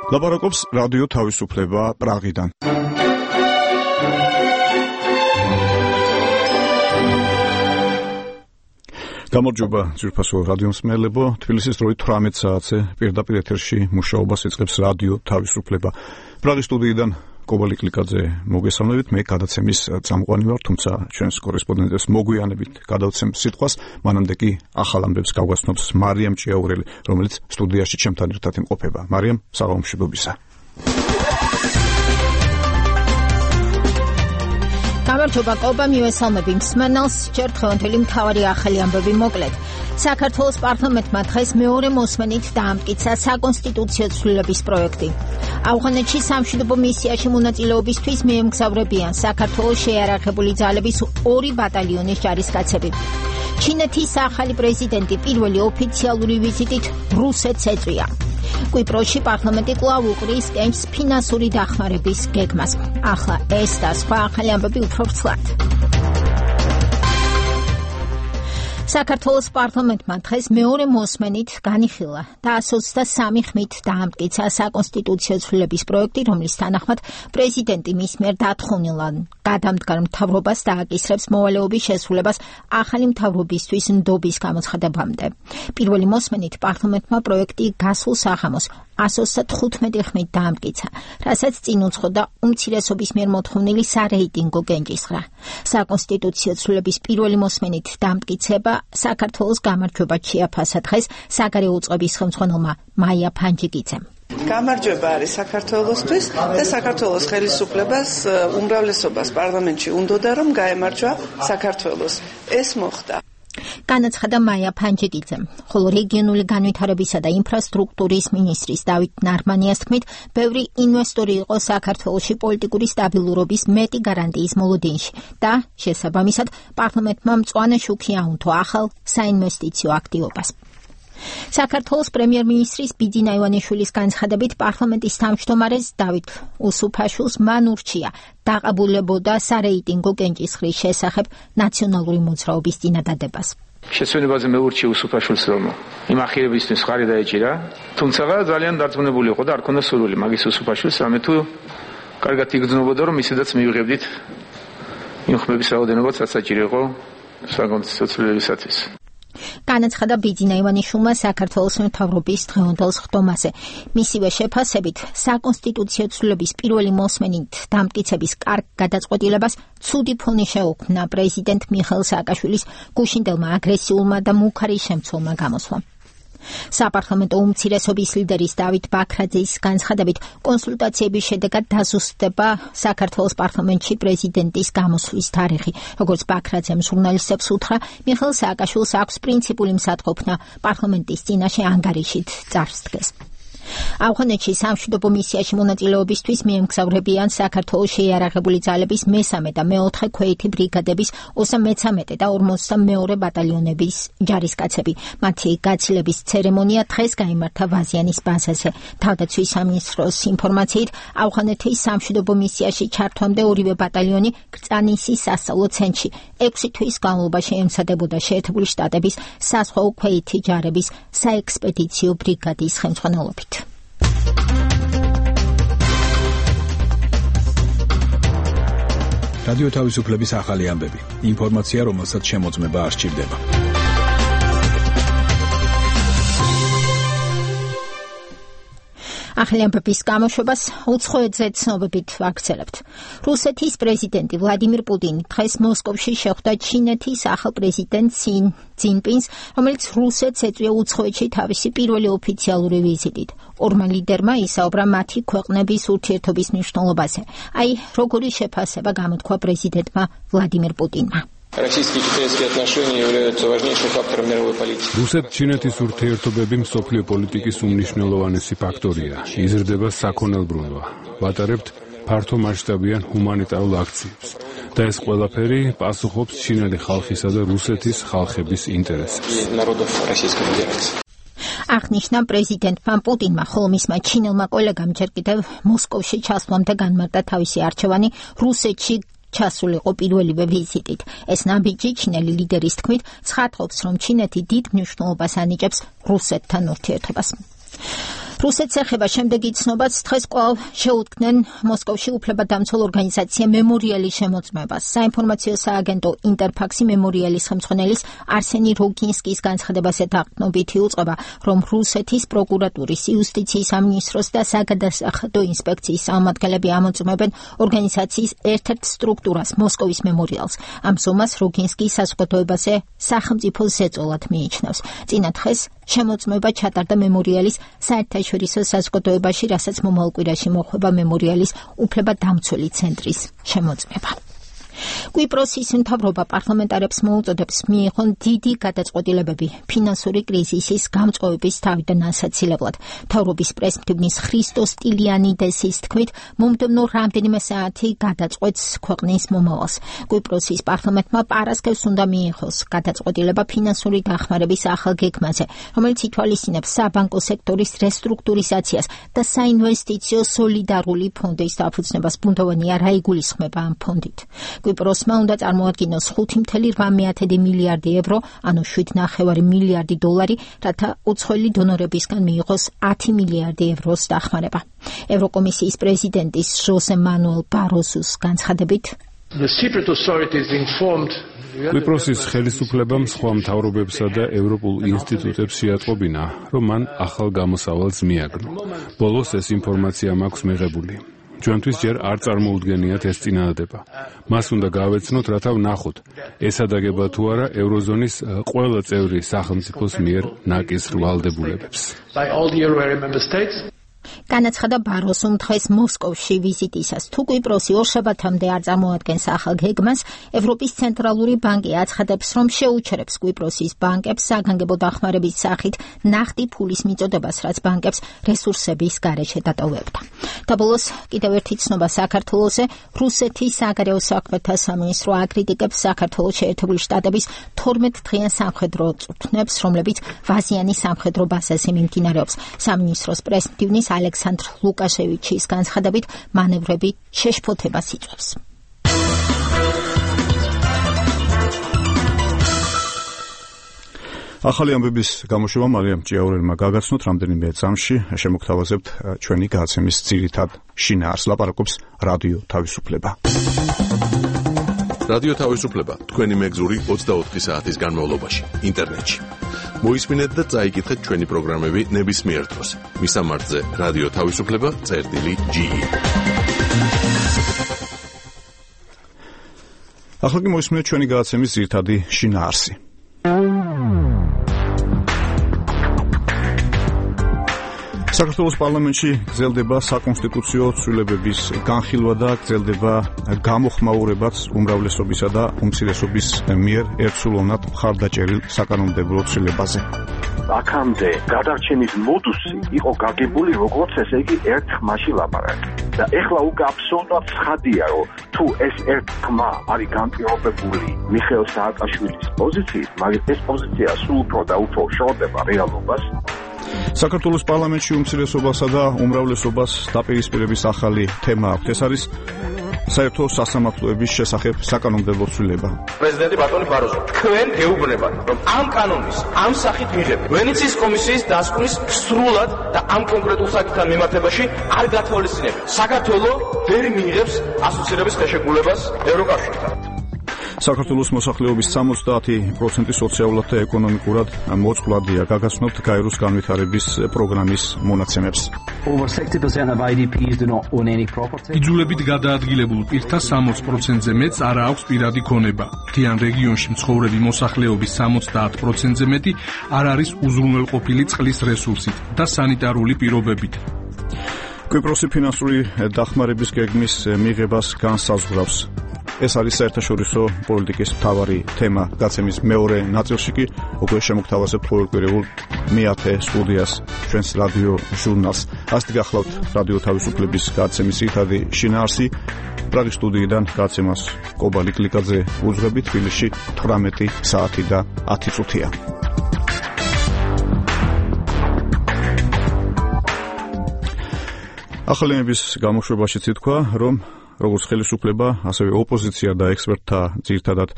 ლაპარაკობს რადიო თავისუფლება პრაღიდან. გამარჯობა ძვირფასო რადიო მსმენელებო, თბილისის დროით 18 საათზე პირდაპირ ეთერში მუშაობას იწყებს რადიო თავისუფლება. პრაღის სტუდიიდან კობალი კლიკაძე მოგესალმებით, მე გადაცემის წამყვანი ვარ, თუმცა ჩვენს კორესპონდენტებს მოგვიანებით გადავცემ სიტყვას, მანამდე კი ახალ ამბებს გავგაცნობს მარიამ ჭიაურელი, რომელიც სტუდიაში ჩემთან ერთად იმყოფება. მარიამ, საღამომშვიდობისა. გამარჯობა კობა, მივესალმები მსმენელს, ჯერ დღევანდელი მთავარი ახალი ამბები მოკლედ. საქართველოს პარლამენტმა დღეს მეორე მოსმენით დაამტკიცა საკონსტიტუციო ცვლილების პროექტი. ავღანეთში სამშვიდობო მისიაში მონაწილეობისთვის მიემგზავრებიან საქართველოს შეიარაღებული ძალების 2 ბატალიონის ჯარისკაცები. ჩინეთის ახალი პრეზიდენტი პირველი ოფიციალური ვიზიტით რუსეთს ეწვია. კვიპროსში პარლამენტი კვლავ უყრის კენჭს ფინანსური დახმარების გეგმას. ახლა ეს და სხვა ახალი ამბები უფრო ვრცლად. საქართველოს პარლამენტმა დღეს მეორე მოსმენით განიხილა და 123 ხმით დაამტკიცა საკონსტიტუციო ცვლილების პროექტი, რომლის თანახმად პრეზიდენტი მის მიერ დათხოვნილ გადამდგარ მთავრობას დააკისრებს მოვალეობის შესრულებას ახალი მთავრობისთვის ნდობის გამოცხადებამდე. პირველი მოსმენით პარლამენტმა პროექტი გასულ საღამოს 135 ხმით დაამტკიცა, რასაც წინ უძღოდა უმცირესობის მიერ მოთხოვნილი სარეიტინგო კენჭისყრა. საკონსტიტუციო ცვლილების პირველი მოსმენით დამტკიცება საქართველოს გამარჯვებად შეაფასა დღეს საგარეო უწყების ხელმძღვანელმა მაია ფანჯიკიძემ. გამარჯვება არის საქართველოსთვის და საქართველოს ხელისუფლებას უმრავლესობას პარლამენტში უნდოდა რომ გაემარჯვა საქართველოს. ეს მოხდა. განაცხადა მაია ფანჯიკიძემ, ხოლო რეგიონული განვითარებისა და ინფრასტრუქტურის მინისტრის დავით ნარმანიას თქმით, ბევრი ინვესტორი იყო საქართველოში პოლიტიკური სტაბილურობის მეტი გარანტიის მოლოდინში და შესაბამისად პარლამენტმა მწვანე შუქი აუნთო ახალ საინვესტიციო აქტივობას. საქართველოს პრემიერ-მინისტრის ბიძინა ივანიშვილის განცხადებით პარლამენტის თავმჯდომარეს დავით უსუფაშვილს მან ურჩია დაყაბულებოდა სარეიტინგო კენჭისყრის შესახებ ნაციონალური მოძრაობის წინადადებას. შესვენებაზე მე ურჩი უსუფაშვილს რომ იმ ახირებისთვის ხარი დაეჭირა, თუმცა ძალიან დარწმუნებული იყო და არ ქონდა სურვილი მაგის უსუფაშვილს რამე თუ კარგად იგრძნობოდა რომ ისედაც მივიღებდით იმ ხმების რაოდენობაც საჭირო იყო საკონსტიტუციო ცვლილებისათვის. განაცხადა ბიძინა ივანიშვილმა საქართველოს მთავრობის დღევანდელ ხდომაზე. მისივე შეფასებით, საკონსტიტუციო ცვლილების პირველი მოსმენით დამტკიცების კარგ გადაწყვეტილებას ცუდი ფონი შეუქმნა პრეზიდენტ მიხეილ სააკაშვილის გუშინდელმა აგრესიულმა და მუქარი შემცველმა გამოსვლამ. საპარლამენტო უმცირესობის ლიდერის დავით ბაქრაძის განცხადებით, კონსულტაციების შედეგად დაზუსტდება საქართველოს პარლამენტში პრეზიდენტის გამოსვლის თარიღი. როგორც ბაქრაძემ ჟურნალისტებს უთხრა, მიხეილ სააკაშვილს აქვს პრინციპული მსათყოფნა პარლამენტის წინაშე ანგარიშით წარს დგეს. ავღანეთში სამშვიდობო მისიაში მონაწილეობისთვის მიემგზავრებიან საქართველოს შეიარაღებული ძალების 3 და 4 ქვეითი ბრიგადების 23 და 42 ბატალიონების ჯარისკაცები. მათი გაცილების ცერემონია დღეს გაიმართა ვაზიანის ბაზაზე. თავდაცვის სამინისტროს ინფორმაციით, ავღანეთის სამშვიდობო მისიაში ჩართვამდე ორივე ბატალიონი კრწანისის სასწავლო ცენტრში 6 თვის განმავლობაში ემცადებოდა შეერთებული შტატების საზღვაო ქვეითი ჯარების საექსპედიციო ბრიგადის ხელმძღვანელობით. რადიო თავისუფლების ახალი ამბები. ინფორმაცია, რომელსაც შემოწმება არ სჭირდება. ახალი ამბების გამოშვებას უცხოეთზე ცნობებით ვაგრძელებთ. რუსეთის პრეზიდენტი ვლადიმირ პუტინი დღეს მოსკოვში შეხვდა ჩინეთის ახალ პრეზიდენტ სი ძინპინს, რომელიც რუსეთს ეწვია უცხოეთში თავისი პირველი ოფიციალური ვიზიტით. ორმა ლიდერმა ისაუბრა მათი ქვეყნების ურთიერთობის მნიშვნელობაზე. აი, როგორი შეფასება გამოთქვა პრეზიდენტმა ვლადიმირ პუტინმა. Российско-китайские отношения являются важнейшим фактором мировой политики. რუსეთ-ჩინეთის ურთიერთობები მსოფლიო პოლიტიკის უმნიშვნელოვანესი ფაქტორია. იზრდება საქონელბრუნვა. ვატარებთ ფართო მასშტაბიან ჰუმანიტარულ აქციებს. და ეს ყველაფერი პასუხობს ჩინელი ხალხისა და რუსეთის ხალხების ინტერესებს. აღნიშნა პრეზიდენტმა პუტინმა, ხოლო მისმა ჩინელმა კოლეგამ ჯერ კიდევ მოსკოვში ჩასვლამდე განმარტა თავისი არჩევანი რუსეთში ჩასულიყო პირველივე ვიზიტით. ეს ნაბიჯი ჩინელი ლიდერის თქმით ცხადყოფს, რომ ჩინეთი დიდ მნიშვნელობას ანიჭებს რუსეთთან ურთიერთობას. რუსეთს ეხება შემდეგი ცნობაც დღეს კვლავ შეუდგნენ მოსკოვში უფლებადამცველ ორგანიზაცია მემორიალის შემოწმებას. საინფორმაციო სააგენტო ინტერფაქსი მემორიალის ხელმძღვანელის არსენი როგინსკის განცხადებას ეთაყნობით იუწყება, რომ რუსეთის პროკურატურის, იუსტიციის სამინისტროს და საგადასახადო ინსპექციის წარმომადგენლები ამოწმებენ ორგანიზაციის ერთ-ერთ სტრუქტურას, მოსკოვის მემორიალს. ამ ზომას როგინსკი საზოგადოებაზე სახელმწიფო ზეწოლად მიიჩნევს. წინა დღეს შემოწმება ჩატარდა მემორიალის საერთაშორისო საზოგადოებაში, რასაც მომავალ კვირაში მოხვდება მემორიალის უფლებადამცველი ცენტრის შემოწმება. კვიპროსის მთავრობა პარლამენტარებს მოუწოდებს მიიღონ დიდი გადაწყვეტილებები ფინანსური კრიზისის გამწვევების თავიდან ასაცილებლად. მთავრობის პრესმდივნის ქრისტოს ტილიანიდესის თქმით, მომდევნო რამდენიმე საათი გადაწყვეტს ქვეყნის მომავალს. კვიპროსის პარლამენტმა პარასკევს უნდა მიიღოს გადაწყვეტილება ფინანსური დახმარების ახალ გეგმაზე, რომელიც ითვალისწინებს საბანკო სექტორის რესტრუქტურიზაციას და საინვესტიციო სოლიდარული ფონდის დაფუძნებას. ბუნდოვანი არა იგულისხმება ამ ფონდით. კვიპროსმა უნდა წარმოადგინოს 5,8 მილიარდი евро, ანუ 7,9 მილიარდი დოლარი, რათა უცხოელი დონორებისგან მიიღოს 10 მილიარდი ევროს დახმარება. ევროკომისიის პრეზიდენტის ჟოსე მანუელ ბაროსუს განცხადებით, კვიპროსის ხელისუფლებამ სხვა მთავრობებსა და ევროპულ ინსტიტუტებს შეატყობინა, რომ მან ახალ გამოსავალს მიაგნო. ბოლოს ეს ინფორმაცია მაქვს მიღებული. ჩვენთვის ჯერ არ წარმოუდგენიათ ეს წინადადება. მას უნდა გავეცნოთ, რათა ვნახოთ, ეს ადაგება თუ არა ევროზონის ყველა წევრი სახელმწიფოს მიერ ნაკისრ ვალდებულებებს. განაცხადა ბაროსუმ დღეს მოსკოვში ვიზიტისას. თუ კვიპროსი ორშაბათამდე არ წარმოადგენს ახალ გეგმას, ევროპის ცენტრალური ბანკი აცხადებს, რომ შეუჩერებს კვიპროსის ბანკებს საგანგებო დახმარების სახით ნახტი ფულის მიწოდებას, რაც ბანკებს რესურსების გარეშე დატოვებდა. და ბოლოს კიდევ ერთი ცნობა საქართველოზე. რუსეთის საგარეო საქმეთა სამინისტრო აკრიტიკებს საქართველოს შეერთებული შტატების 12 დღიან სამხედრო წვრთნებს, რომლებიც ვაზიანის სამხედრო ბაზაზე მიმდინარეობს. სამინისტროს პრესმდივნის ალექსანდრ ლუკაშევიჩის განცხადებით, მანევრები შეშფოთებას იწვევს. ახალი ამბების გამოშვება მარიამ ჭიაურელმა გაგაცნოთ რამდენიმე წამში. შემოგთავაზებთ ჩვენი გადაცემის ძირითად შინაარს. ლაპარაკობს რადიო თავისუფლება. რადიო თავისუფლება თქვენი მეგზური 24 საათის განმავლობაში ინტერნეტში. მოისმინეთ და წაიკითხეთ ჩვენი პროგრამები ნებისმიერ დროს. მისამართზე რადიო თავისუფლება.ge. ახლა კი მოისმინეთ ჩვენი გადაცემის ძირითადი შინაარსი. საქართველოს პარლამენტში გრძელდება საკონსტიტუციო ცვლილებების განხილვა და გრძელდება გამოხმაურებაც უმრავლესობისა და უმცირესობის მიერ ერთსულოვნად მხარდაჭერილ საკანონმდებლო ცვლილებაზე. აქამდე გადარჩენის მოდუსი იყო გაგებული როგორც ესე იგი ერთ ხმაში ლაპარაკი. და ეხლა უკვე აბსოლუტურად ცხადია, რომ თუ ეს ერთ ხმა არის განპირობებული მიხეილ სააკაშვილის პოზიციით, მაგრამ ეს პოზიცია სულ უფრო და უფრო შორდება რეალობას. საქართველოს პარლამენტში უმცირესობასა და უმრავლესობას დაპირისპირების ახალი თემა აქვს. ეს არის საერთო სასამართლოების შესახებ საკანონმდებლო ცვლილება. პრეზიდენტი ბატონი ბაროზო, თქვენ გეუბნებათ, რომ ამ კანონის, ამ სახით მიღება ვენეციის კომისიის დასკვნის სრულად და ამ კონკრეტულ საკითხთან მიმართებაში არ გათვალისწინებთ. საქართველოს ვერ მიიღებს ასოცირების ხელშეკრულებას ევროკავშირთან. საქართველოს მოსახლეობის 70% სოციალურად და ეკონომიკურად მოწყვლადია. გაგაცნობთ გაეროს განვითარების პროგრამის მონაცემებს. იძულებით გადაადგილებულ პირთა 60%-ზე მეტს არ აქვს პირადი ქონება. მთიან რეგიონში მცხოვრები მოსახლეობის 70%-ზე მეტი არ არის უზრუნველყოფილი წყლის რესურსით და სანიტარული პირობებით. კვიპროსი ფინანსური დახმარების გეგმის მიღებას განსაზღვრავს. ეს არის საერთაშორისო პოლიტიკის მთავარი თემა. გაცემის მეორე ნაწილში კი უკვე შემოგთავაზებთ ყოველკვირეულ მეათე სტუდიას, ჩვენს რადიო ჟურნალს. ასეთი გახლავთ რადიო თავისუფლების გაცემის ძირითადი შინაარსი. პრაღის სტუდიიდან გაცემას კობა ლიკლიკაძე უძღვებით. თბილისში 18 საათი და 10 წუთია. ახალი ამბების გამოშვებაშიც ითქვა, რომ როგორც ხელისუფლება, ასევე ოპოზიცია და ექსპერტთა ძირითადად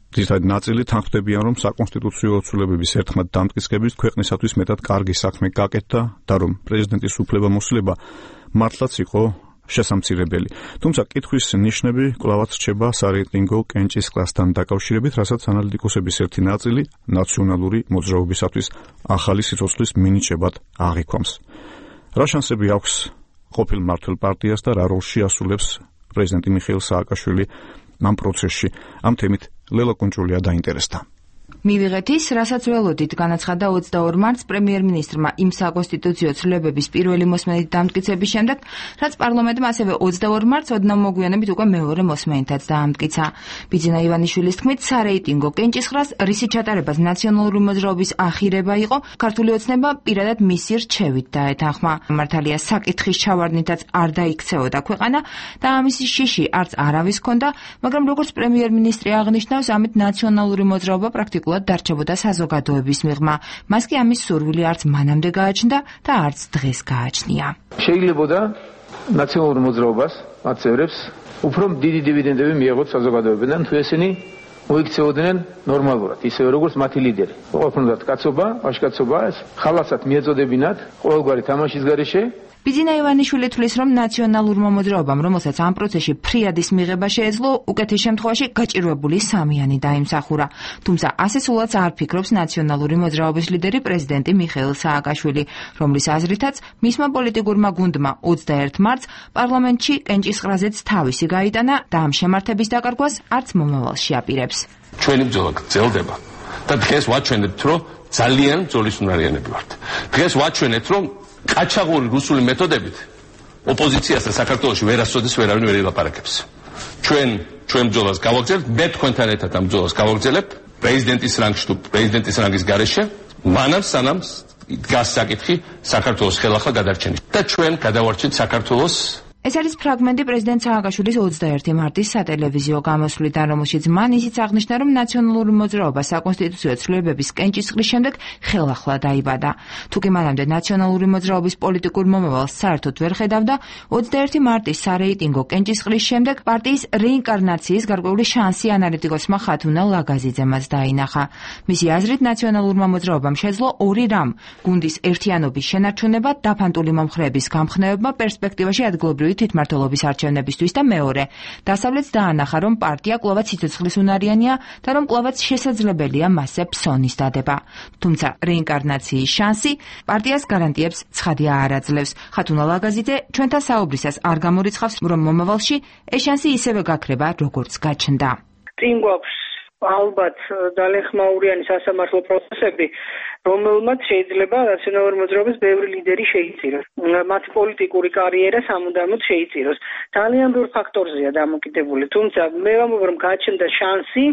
ძირითადად ნაწილი თანხმდებიან, რომ საკონსტიტუციო ცვლილებების ერთხმად დამტკიცებით ქვეყნისათვის მეტად კარგი საქმე გაკეთდა და რომ პრეზიდენტის უფლებამოსილება მართლაც იყო შესამცირებელი. თუმცა კითხვის ნიშნები კვლავაც რჩება სარეიტინგო კენჭისყრასთან დაკავშირებით, რასაც ანალიტიკოსების ერთი ნაწილი ნაციონალური მოძრაობისათვის ახალი სიცოცხლის მინიჭებად აღიქვამს. რა შანსები აქვს ყოფილ მმართველ პარტიას და რა როლში ასრულებს პრეზიდენტი მიხეილ სააკაშვილი ამ პროცესში? ამ თემით ლელა კუნჭულია დაინტერესდა. მივიღეთ ის, რასაც ველოდით, განაცხადა 22 მარტს პრემიერ-მინისტრმა იმ საკონსტიტუციო ცვლილებების პირველი მოსმენით დამტკიცების შემდეგ, რაც პარლამენტმა ასევე 22 მარტს ოდნავ მოგვიანებით უკვე მეორე მოსმენითაც დაამტკიცა. ბიძინა ივანიშვილის თქმით, სარეიტინგო კენჭისყრას, რისი ჩატარებას ნაციონალური მოძრაობის ახირება იყო, ქართული ოცნება პირადად მისი რჩევით დაეთანხმა. მართალია, საკითხის ჩავარდნითაც არ დაიქცეოდა ქვეყანა და ამის შიში არც არავის ჰქონდა, მაგრამ როგორც პრემიერ-მინისტრი აღნიშნავს, ამით ნაციონალური მოძრაობა პრაქტიკულად დარჩებოდა საზოგადოების მიღმა. მას კი ამის სურვილი არც მანამდე გააჩნდა და არც დღეს გააჩნია. შეიძლებოდა ნაციონალურ მოძრაობას, მათ წევრებს, უფრო დიდი დივიდენდები მიეღოთ საზოგადოებიდან, თუ ესენი მოიქცეოდნენ ნორმალურად, ისევე როგორც მათი ლიდერი. ყველაფრად კაცობა, ვაჟკაცობა, ხალასად მიეწოდებინათ ყოველგვარი თამაშის გარეშე. ბიძინა ივანიშვილი თვლის, რომ ნაციონალურმა მოძრაობამ, რომელსაც ამ პროცესში ფრიადის მიღება შეეძლო, უკეთეს შემთხვევაში გაჭირვებული სამიანი დაიმსახურა. თუმცა ასე სულაც არ ფიქრობს ნაციონალური მოძრაობის ლიდერი პრეზიდენტი მიხეილ სააკაშვილი, რომლის აზრითაც მისმა პოლიტიკურმა გუნდმა 21 მარტს პარლამენტში კენჭისყრაზეც თავისი გაიტანა და ამ შემართების დაკარგვას არც მომავალში აპირებს. ჩვენი ბრძოლა გრძელდება და დღეს ვაჩვენებთ, რომ ძალიან ბრძოლისუნარიანები ვართ. დღეს ვაჩვენეთ, რომ ყაჩაღური რუსული მეთოდებით ოპოზიციას და საქართველოში ვერასოდეს ვერავინ ვერ ილაპარაკებს. ჩვენ ბრძოლას გავაგრძელებთ, მე თქვენთან ერთად ამ ბრძოლას გავაგრძელებ პრეზიდენტის რანგში თუ პრეზიდენტის რანგის გარეშე, მანამ სანამ დგას საკითხი საქართველოს ხელახლა გადარჩენის და ჩვენ გადავარჩენთ საქართველოს. ეს არის ფრაგმენტი პრეზიდენტ სააკაშვილის 21 მარტის სატელევიზიო გამოსვლიდან, რომელშიც მან ისიც აღნიშნა, რომ ნაციონალური მოძრაობა საკონსტიტუციო ცვლილებების კენჭისყრის შემდეგ ხელახლა დაიბადა. თუკი მანამდე ნაციონალური მოძრაობის პოლიტიკურ მომავალს საერთოდ ვერ ხედავდა, 21 მარტის სარეიტინგო კენჭისყრის შემდეგ პარტიის რეინკარნაციის გარკვეული შანსი ანალიტიკოსმა ხათუნა ლაგაზიძემაც დაინახა. მისი აზრით, ნაციონალურმა მოძრაობამ შეძლო ორი რამ: გუნდის ერთიანობის შენარჩუნება, დაფანტული მომხრეების გამხნევება პერსპექტივაში ადგილობრივი თვითმმართველობის არჩევნებისთვის და მეორე, დასავლეთს დაანახა, რომ პარტია კვლავაც სიცოცხლის უნარიანია და რომ კვლავაც შესაძლებელია მასზე ფსონის დადება. თუმცა რეინკარნაციის შანსი პარტიას გარანტიებს ცხადია არ აძლევს. ხათუნა ლაგაზიძე ჩვენთან საუბრისას არ გამორიცხავს, რომ მომავალში ეს შანსი ისევე გაქრება, როგორც გაჩნდა. წინ გვაქვს ალბათ ძალიან ხმაურიანი სასამართლო პროცესები, რომელმაც შეიძლება ნაციონალური მოძრაობის ბევრი ლიდერი შეიწიროს. მათი პოლიტიკური კარიერა სამუდამოდ შეიწიროს. ძალიან ბევრ ფაქტორზეა დამოკიდებული. თუმცა მე ვამბობ, რომ გაჩნდა შანსი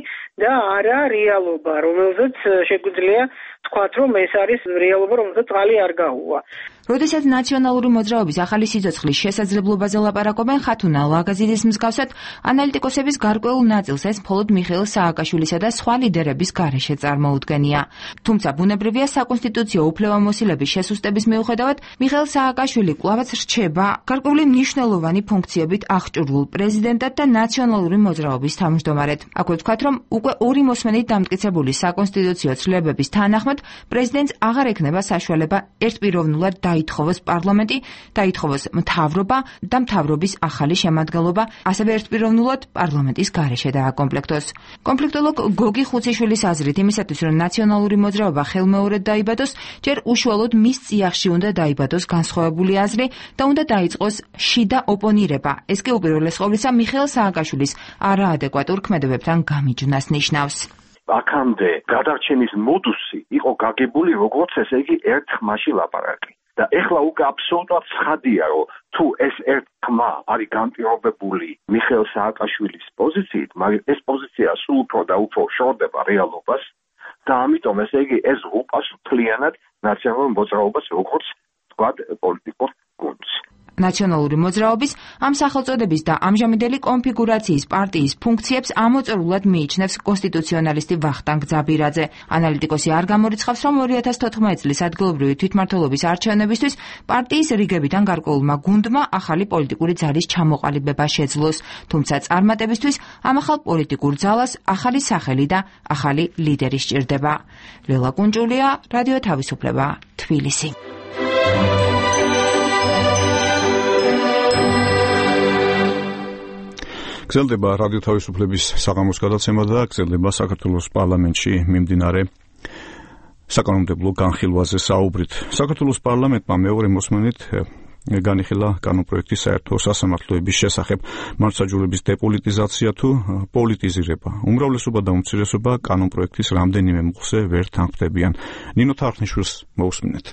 და არა რეალობა, რომელზეც შეგვიძლია თქვათ, რომ ეს არის რეალობა, რომელზეც წყალი არ გაუვა. როდესაც ნაციონალური მოძრაობის ახალი სიცოცხლის შესაძლებლობაზე ლაპარაკობენ, ხათუნა ლაგაზიძის მსგავსად ანალიტიკოსების გარკვეულ ნაწილს ეს მხოლოდ მიხეილ სააკაშვილისა და სხვა ლიდერების გარეშე წარმოუდგენია. თუმცა ბუნებრივია, საკონსტიტუციო უფლებამოსილების შესუსტების მიუხედავად, მიხეილ სააკაშვილი კვლავაც რჩება გარკვეული მნიშვნელოვანი ფუნქციებით აღჭურვილ პრეზიდენტად და ნაციონალური მოძრაობის თავმჯდომარედ. აქვე ვთქვათ, რომ უკვე ორი მოსმენით დამტკიცებული საკონსტიტუციო ცვლილებების თანახმად პრეზიდენტს აღარ ექნება საშუალება ერთპიროვნულად დაითხოვოს პარლამენტი, დაითხოვოს მთავრობა და მთავრობის ახალი შემადგენლობა, ასევე ერთპიროვნულად პარლამენტის გარეშე დააკომპლექტოს. კონფლიქტოლოგ გოგი ხუციშვილის აზრით, იმისათვის, რომ ნაციონალური მოძრაობა ხელმეორედ დაიბადოს, ჯერ უშუალოდ მის წიაღში უნდა დაიბადოს განსხვავებული აზრი და უნდა დაიწყოს შიდა ოპონირება. ეს კი უპირველეს ყოვლისა მიხეილ სააკაშვილის არაადეკვატურ ქმედებებთან გამიჯვნას ნიშნავს. აქამდე გადარჩენის მოდუსი იყო გაგებული როგორც ესე იგი ერთ ხმაში ლაპარაკი. და ეხლა უკვე აბსოლუტურად ცხადია, რომ თუ ეს ერთ ხმა არის განპირობებული მიხეილ სააკაშვილის პოზიციით, მაგრამ ეს პოზიცია სულ უფრო და უფრო შორდება რეალობას და ამიტომ ესე იგი ეს უპასუხლიანად ნაციონალურ მოძრაობას როგორც თქვა პოლიტიკურ გუნდს. ნაციონალური მოძრაობის, ამ სახელწოდების და ამჟამინდელი კონფიგურაციის პარტიის ფუნქციებს ამოწურულად მიიჩნევს კონსტიტუციონალისტი ვახტანგ ძაბირაძე. ანალიტიკოსი არ გამორიცხავს, რომ 2014 წლის ადგილობრივი თვითმმართველობის არჩევნებისთვის პარტიის რიგებიდან გარკვეულმა გუნდმა ახალი პოლიტიკური ძალის ჩამოყალიბება შეძლოს, თუმცა წარმატებისთვის ამ ახალ პოლიტიკურ ძალას ახალი სახელი და ახალი ლიდერი სჭირდება. ლელა კუნჭულია, რადიო თავისუფლება, თბილისი. გრძელდება რადიო თავისუფლების საღამოს გადაცემა და გრძელდება საქართველოს პარლამენტში მიმდინარე საკანონმდებლო განხილვაზე საუბრით. საქართველოს პარლამენტმა მეორე მოსმენით განიხილა კანონპროექტის საერთო სასამართლოების შესახებ მართლმსაჯულების დეპოლიტიზაცია თუ პოლიტიზირება. უმრავლესობა და უმცირესობა კანონპროექტის რამდენიმე მუხლზე ვერ თანხმდებიან. ნინო თარხნიშვილს მოусმინეთ.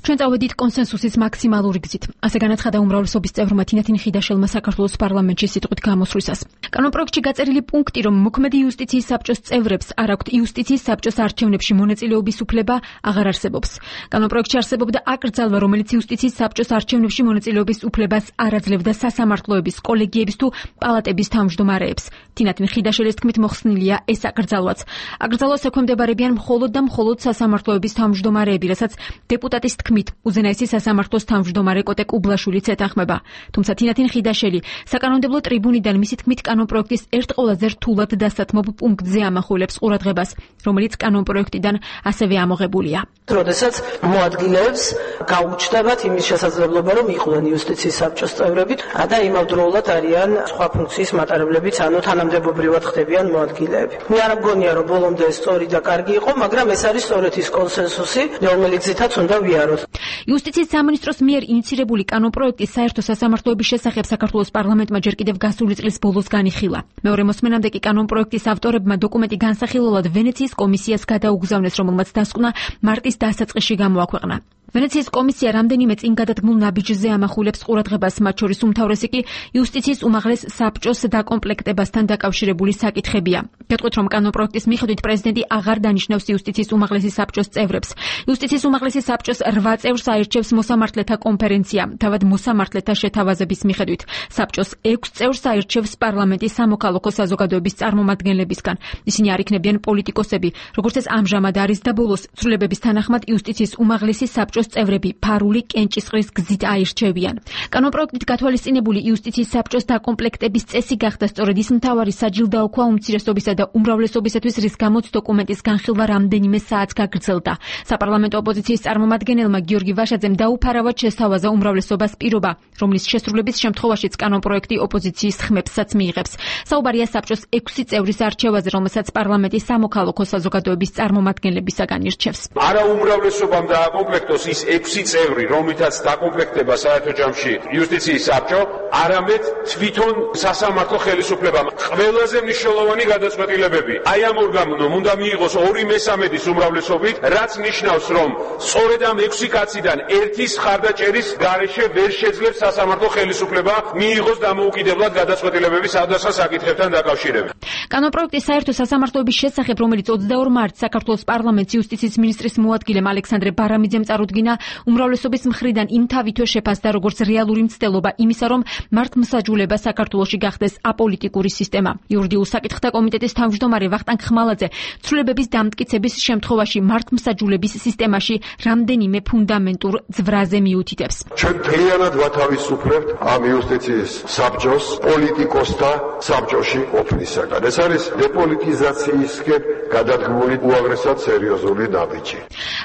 ჩვენ წავედით კონსენსუსის მაქსიმალური გზით. ასე განაცხადა უმრავლესობის წევრმა თინათინ ხიდაშელმა საქართველოს პარლამენტში სიტყვით გამოსვლისას. კანონპროექტში გაწერილი პუნქტი, რომ მოქმედი იუსტიციის საბჭოს წევრებს არ აქვთ იუსტიციის საბჭოს არჩევნებში მონაწილეობის უფლება, აღარ არსებობს. კანონპროექტში არსებობდა აკრძალვა, რომელიც იუსტიციის საბჭოს არჩევნებში მონაწილეობის უფლებას არ აძლევდა სასამართლოების, კოლეგიების თუ პალატების თავმჯდომარეებს. თინათინ ხიდაშელის თქმით მოხსნილია ეს აკრძალვაც. აკრძალვას ექვემდებარებიან მხოლოდ და მხოლოდ სასამართლოების თავმჯდომარეები, რასაც დეპუტატის უზენაესი სასამართლოს თავმჯდომარე კოტე კუბლაშვილიც ეთანხმება. თუმცა თინათინ ხიდაშელი საკანონმდებლო ტრიბუნიდან მისი თქმით კანონპროექტის ერთ ყველაზე რთულად დასათმობ პუნქტზე ამახვილებს ყურადღებას, რომელიც კანონპროექტიდან ასევე ამოღებულია. როდესაც მოადგილეებს გაუჩნდებათ იმის შესაძლებლობა, რომ იყვნენ იუსტიციის საბჭოს წევრები და იმავდროულად არიან სხვა ფუნქციის მატარებლებიც, ანუ თანამდებობრივად ხდებიან მოადგილეები. მე არ მგონია, რომ ბოლომდე სწორი და კარგი იყო, მაგრამ ეს არის სწორედ ის კონსენსუსი, რომელიც ზითაც უნდა ვიაროთ. იუსტიციის სამინისტროს მიერ ინიცირებული კანონპროექტის საერთო სასამართლოების შესახებ საქართველოს პარლამენტმა ჯერ კიდევ გასული წლის ბოლოს განიხილა. მეორე მოსმენამდე კი კანონპროექტის ავტორებმა დოკუმენტი განსახილველად ვენეციის კომისიას გადაუგზავნეს, რომელმაც დასკვნა მარტის დასაწყისში გამოაქვეყნა. ვენეციის კომისია რამდენიმე წინ გადადგმულ ნაბიჯზე ამახვილებს ყურადღებას, მათ შორის უმთავრესი კი იუსტიციის უმაღლეს საბჭოს დაკომპლექტებასთან დაკავშირებული საკითხებია. გეტყვით, რომ კანონპროექტის მიხედვით პრეზიდენტი აღარ დანიშნავს იუსტიციის უმაღლესი საბჭოს წევრებს. იუსტიციის უმაღლესი საბჭოს 8 წევრს აირჩევს მოსამართლეთა კონფერენცია. თავად მოსამართლეთა შეთავაზების მიხედვით საბჭოს 6 წევრს აირჩევს პარლამენტის სამოქალაქო საზოგადოების წარმომადგენლებისგან. ისინი არ იქნებიან პოლიტიკოსები, როგორც ეს ამჟამად არის და ბოლოს ცვლილებების თანახმად იუსტიციის უმაღლესი საბჭოს წევრები ფარული კენჭისყრის გზით აირჩევიან. კანონპროექტით გათვალისწინებული იუსტიციის საბჭოს დაკომპლექტების წესი გახდა სწორედ ის მთავარი საჯილდაოქვა უმცირესობისა და უმრავლესობისათვის, რის გამოც დოკუმენტის განხილვა რამდენიმე საათს გაგრძელდა. საპარლამენტო ოპოზიციის წარმომადგენელმა გიორგი ვაშაძემ დაუფარავად შესთავაზა უმრავლესობას პირობა, რომლის შესრულების შემთხვევაშიც კანონპროექტი ოპოზიციის ხმებსაც მიიღებს. საუბარია საბჭოს 6 წევრის არჩევაზე, რომელსაც პარლამენტის სამოქალაქო საზოგადოების წარმომადგენლებისაგან ირჩევს. არა უმრავლესობამ დააკომპლექტოს ის 6 წევრი, რომლითაც დაკომპლექტება საერთო ჯამში იუსტიციის საბჭო, არამედ თვითონ სასამართლო ხელისუფლებამ. ყველაზე მნიშვნელოვანი გადაწყვეტილებები აი ამ ორგანომ უნდა მიიღოს 2/3 უმრავლესობით, რაც ნიშნავს, რომ სწორედ ამ 6 კაციდან ერთის ხარდაჭერის გარეშე ვერ შეძლებს სასამართლო ხელისუფლება მიიღოს დამოუკიდებლად გადაწყვეტილებები სხვადასხვა საკითხებთან დაკავშირებით. კანონპროექტის საერთო სასამართლოების შესახებ, რომელიც 22 მარტს საქართველოს პარლამენტის იუსტიციის მინისტრის მოადგილემ ალექსანდრე ბარამიძემ წარუდგინა, უმრავლესობის მხრიდან იმ თავითვე შეფასდა როგორც რეალური მცდელობა იმისა, რომ მართლმსაჯულება საქართველოში გახდეს აპოლიტიკური სისტემა. იურიდიულ საკითხთა კომიტეტის თავმჯდომარე ვახტანგ ხმალაძე ცვლილებების დამტკიცების შემთხვევაში მართლმსაჯულების სისტემაში რამდენიმე ფუნდამენტურ ძვრაზე მიუთითებს. ჩვენ მთლიანად ვათავისუფლებთ ამ იუსტიციის საბჭოს პოლიტიკოსთა საბჭოში ყოფნისაგან. ეს არის დეპოლიტიზაციისკენ გადადგმული უაღრესად სერიოზული ნაბიჯი.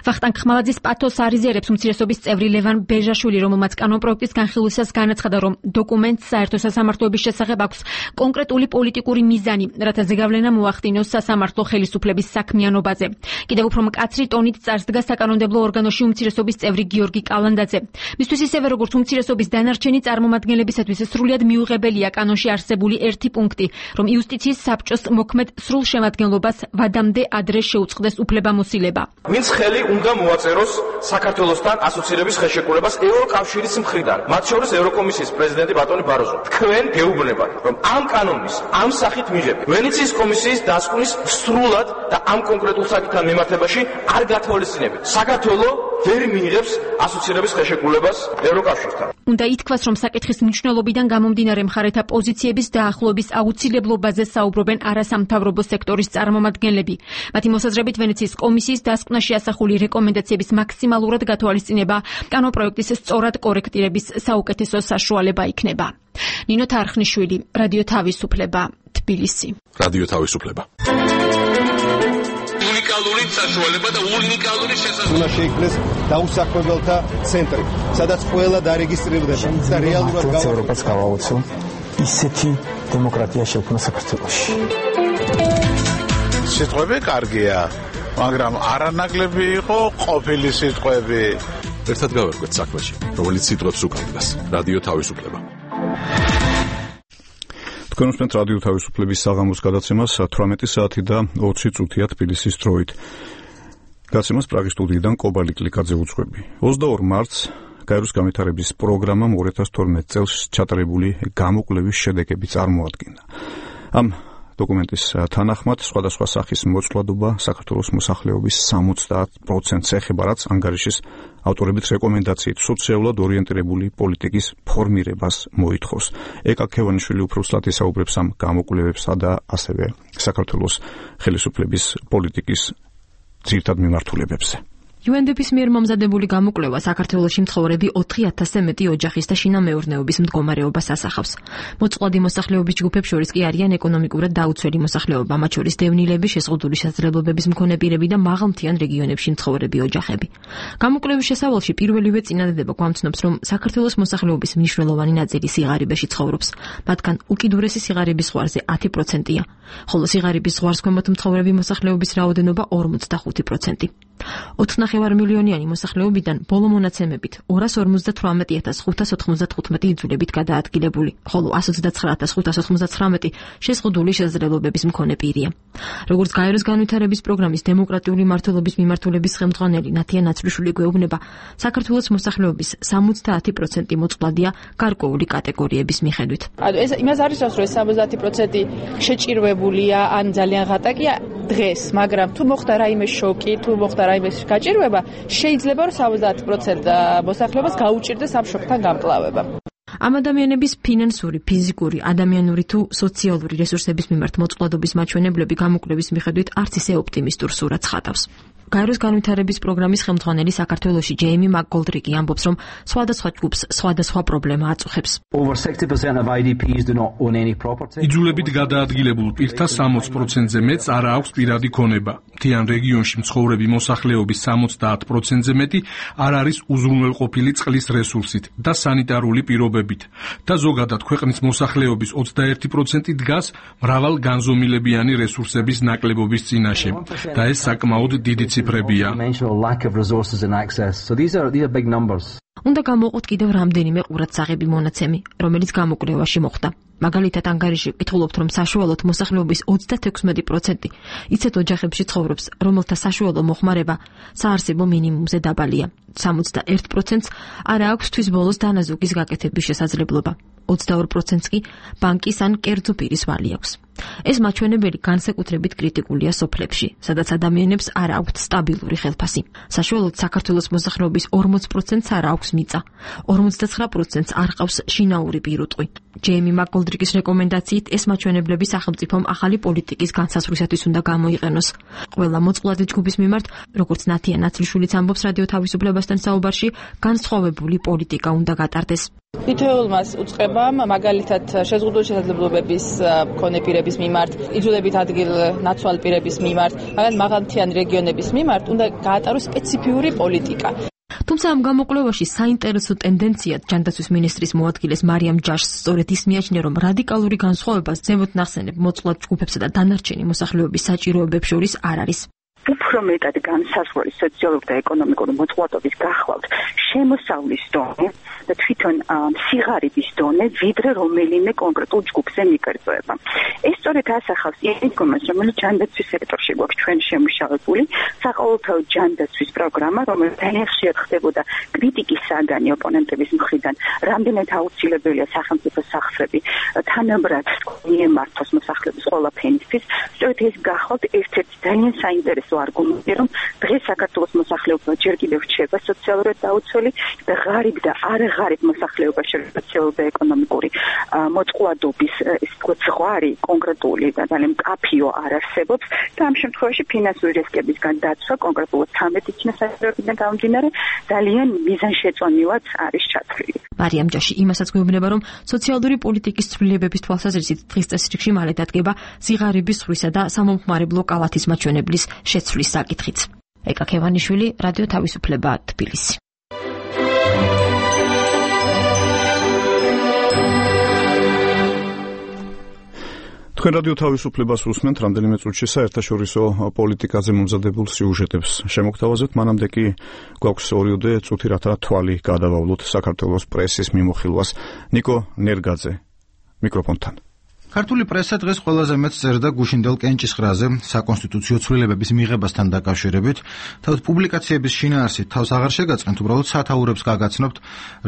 ვახტანგ ხმალაძის პათოს არიზერებს უმცირესობის წევრი ლევან ბეჟაშვილი, რომელმაც კანონპროექტის განხილვისას განაცხადა, რომ დოკუმენტს საერთო სასამართლოების შესახებ აქვს კონკრეტული პოლიტიკური მიზანი, რათა ზეგავლენა მოახდინოს სასამართლო ხელისუფლების საქმიანობაზე. კიდევ უფრო მკაცრი ტონით წარსდგა საკანონმდებლო ორგანოში უმცირესობის წევრი გიორგი კალანდაძე. მისთვის ისევე როგორც უმცირესობის დანარჩენი წარმომადგენლებისათვის სრულიად მიუღებელია კანონში არსებული ერთი პუნქტი, რომ იუსტიციის საბჭოს მოქმედ სრულ შემადგენლობას ვადამდე ადრე შეუწყდეს უფლებამოსილება. ვინც ხელი უნდა მოაწეროს საქართველოსთან ასოცირების ხელშეკრულებას ევროკავშირის მხრიდან, მათ შორის ევროკომისიის პრეზიდენტი ბატონი ბაროზო. თქვენ გეუბნებათ, რომ ამ კანონის ამ სახით მიღებით ვენეციის კომისიის დასკვნის სრულად და ამ კონკრეტულ საკითხთან მიმართებაში არ გათვალისწინებით. საქართველოს ვერ მიიღებს ასოცირების ხელშეკრულებას ევროკავშირთან. უნდა ითქვას, რომ საკითხის მნიშვნელობიდან გამომდინარე მხარეთა პოზიციების დაახლოების აუცილებლობაზე საუბრობენ არასამთავრობო სექტორის წარმომადგენლები. მათი მოსაზრებით ვენეციის კომისიის დასკვნაში ასახული რეკომენდაციების მაქსიმალურად გათვალისწინება კანონპროექტის სწორად კორექტირების საუკეთესო საშუალება იქნება. ნინო თარხნიშვილი, რადიო თავისუფლება, თბილისი. რადიო თავისუფლება. უნიკალური საშუალება და უნიკალური შესაძლებლობა. უნდა შეიქმნეს დაუსაქმებელთა ცენტრი, სადაც ყველა დარეგისტრირდება და რეალურად ევროპას გავაოცო ისეთი დემოკრატია შექმნა საქართველოში. სიტყვები კარგია, მაგრამ არანაკლები იყო ყოფილი სიტყვები. ერთად გავერკვეთ საქმეში, რომელიც სიტყვებს უკავშირდება. რადიო თავისუფლება. თქვენ უსმენთ რადიო თავისუფლების საღამოს გადაცემას 18 საათი და 20 წუთია თბილისის დროით. გადაცემას პრაღის სტუდიიდან კობალი კლიკაძე უძღვები. 22 მარტს გაეროს განვითარების პროგრამამ 2012 წელს ჩატარებული გამოკვლევის შედეგები წარმოადგინა. ამ დოკუმენტის თანახმად სხვადასხვა სახის მოწყვლადობა საქართველოს მოსახლეობის 70%-ს ეხება, რაც ანგარიშის ავტორების რეკომენდაციით სოციალურად ორიენტირებული პოლიტიკის ფორმირებას მოითხოვს. ეკა ქევანიშვილი უფრო სულად ისაუბრებს ამ გამოკვლევებსა და ასევე საქართველოს ხელისუფლების პოლიტიკის ძირითად მიმართულებებზე. UNDP-ის მიერ მომზადებული გამოკვლევა საქართველოში მცხოვრები 4000-ზე მეტი ოჯახის და შინამეურნეობის მდგომარეობას ასახავს. მოწყვლადი მოსახლეობის ჯგუფებს შორის კი არიან ეკონომიკურად დაუცველი მოსახლეობა, მათ შორის დევნილები, შეზღუდული შესაძლებლობების მქონე პირები და მაღალმთიან რეგიონებში მცხოვრები ოჯახები. გამოკვლევის შესავალში პირველივე წინადადება გვამცნობს, რომ საქართველოს მოსახლეობის მნიშვნელოვანი ნაწილი სიღარიბეში ცხოვრობს. მათგან უკიდურესი სიღარიბის ზღვარზე 10%-ია, ხოლო სიღარიბის ზღვარს ქვემოთ მცხოვრები მოსახლეობის რაოდენობა 45%. 4,5 მილიონიანი მოსახლეობიდან ბოლო მონაცემებით 258,595 იძულებით გადაადგილებული, ხოლო 129,599 შეზღუდული შესაძლებლობების მქონე პირია. როგორც გაეროს განვითარების პროგრამის დემოკრატიული მმართველობის მიმართულების ხელმძღვანელი ნათია ნაცრიშვილი გვეუბნება, საქართველოს მოსახლეობის 70% მოწყვლადია გარკვეული კატეგორიების მიხედვით. ეს იმას არის, რომ 70% შეჭირვებულია ან ძალიან ღატაკია დღეს, მაგრამ თუ მოხდა რაიმე შოკი, თუ მოხდა რაიმე გაჭირვება, შეიძლება რომ 70% მოსახლეობას გაუჭირდეს ამ შოკთან გამკლავება. ამ ადამიანების ფინანსური, ფიზიკური, ადამიანური თუ სოციალური რესურსების მიმართ მოწყვლადობის მაჩვენებლები გამოკვლევის მიხედვით არც ისე ოპტიმისტურ სურათს ხატავს. გაეროს განვითარების პროგრამის ხელმძღვანელი საქართველოში ჯეიმი მაკგოლდრიკი ამბობს, რომ სხვადასხვა ჯგუფს სხვადასხვა პრობლემა აწუხებს. იძულებით გადაადგილებულ პირთა 60%-ზე მეტს არ აქვს პირადი ქონება. მთიან რეგიონში მცხოვრები მოსახლეობის 70%-ზე მეტი არ არის უზრუნველყოფილი წყლის რესურსით და სანიტარული პირობებით და ზოგადად ქვეყნის მოსახლეობის 21% დგას მრავალ განზომილებიანი რესურსების ნაკლებობის წინაშე და ეს საკმაოდ დიდი ციფრებია. უნდა გამოვყოთ კიდევ რამდენიმე ყურადსაღები მონაცემი, რომელიც გამოკვლევაში მოხდა. მაგალითად, ანგარიში ვკითხულობთ, რომ საშუალოდ მოსახლეობის 36% იცეთ ოჯახებში ცხოვრობს, რომელთა საშუალო მოხმარება საარსებო მინიმუმზე დაბალია. 61%-ს არ აქვს თვის ბოლოს დანაზუგის გაკეთების შესაძლებლობა. 22%-ს კი ბანკის ან კერძო პირის ვალი აქვს. ეს მაჩვენებელი განსაკუთრებით კრიტიკულია სოფლებში, სადაც ადამიანებს არ აქვთ სტაბილური ხელფასი. საშუალოდ საქართველოს მოსახლეობის 40%-ს არ აქვს მიწა, 59%-ს არ ყავს შინაური პირუტყვი. ჯეიმი მაკგოლდრიკის რეკომენდაციით ეს მაჩვენებლები სახელმწიფომ ახალი პოლიტიკის განსაზღვრისათვის უნდა გამოიყენოს. ყველა მოწყვლადი ჯგუფის მიმართ, როგორც ნათია ნაცრიშვილიც ამბობს რადიო თავისუფლებასთან საუბარში, განსხვავებული პოლიტიკა უნდა გატარდეს. თითოეულმა უწყებამ, მაგალითად შეზღუდული შესაძლებლობების მქონე პირების მიმართ, იძულებით ადგილ-ნაცვალ პირების მიმართ, მაგალითად მაღალმთიანი რეგიონების მიმართ უნდა გაატაროს სპეციფიური პოლიტიკა. თუმცა ამ გამოკვლევაში საინტერესო ტენდენციად ჯანდაცვის მინისტრის მოადგილეს მარიამ ჯაშს სწორედ ის მიაჩნია, რომ რადიკალური განსხვავება ზემოთ ნახსენებ მოწყვლად ჯგუფებსა და დანარჩენი მოსახლეობის საჭიროებებს შორის არ არის. უფრო მეტად განსაზღვრული სოციალური და ეკონომიკური მოწყვლადობის გახლავთ შემოსავლის დონე და თვითონ სიღარიბის დონე ვიდრე რომელიმე კონკრეტულ ჯგუფზე მიკერძოება. ეს სწორედ ასახავს იმას, რომელიც ჯანდაცვის სექტორში გვაქვს ჩვენ შემუშავებული საყოველთაო ჯანდაცვის პროგრამა, რომელიც ძალიან ხშირად ხდებოდა კრიტიკის საგანი ოპონენტების მხრიდან, რამდენად აუცილებელია სახელმწიფო სახსრები თანაბრად მიემართოს მოსახლეობის ყველაფერისთვის. სწორედ ეს გახავთ ერთ-ერთი ძალიან საინტერესო არგუმენტი, რომ დღეს საქართველოს მოსახლეობა ჯერ კიდევ რჩება სოციალურად დაუცველი და ღარიბ და არაღარიბ მოსახლეობაში სოციალური და ეკონომიკური მოწყვლადობის ეს ზღვარი კონკრეტული და ძალიან მკაფიო არ არსებობს და ამ შემთხვევაში ფინანსური რისკებისგან დაცვა კონკრეტულად 13 წინასაჭიროებიდან გამომდინარე ძალიან მიზანშეწონილად არის ჩათვლილი. მარიამ ჯაში იმასაც გვეუბნება, რომ სოციალური პოლიტიკის ცვლილებების თვალსაზრისით დღის წესრიგში მალე დადგება სიღარიბის ზღვრისა და სამომხმარებლო კალათის მაჩვენებლის შეცვლის საკითხიც. ეკა ქევანიშვილი, რადიო თავისუფლება, თბილისი. თქვენ რადიო თავისუფლებას უსმენთ, რამდენიმე წუთში საერთაშორისო პოლიტიკაზე მომზადებულ სიუჟეტებს შემოგთავაზებთ, მანამდე კი გვაქვს 2 წუთი, რათა თვალი გადავავლოთ საქართველოს პრესის მიმოხილვას. ნიკო ნერგაძე, მიკროფონთან. ქართული პრესა დღეს ყველაზე მეტს წერდა გუშინდელ კენჭისყრაზე საკონსტიტუციო ცვლილებების მიღებასთან დაკავშირებით. თავის პუბლიკაციების შინაარსით თავს აღარ შეგაწყენთ, უბრალოდ სათაურებს გაგაცნობთ,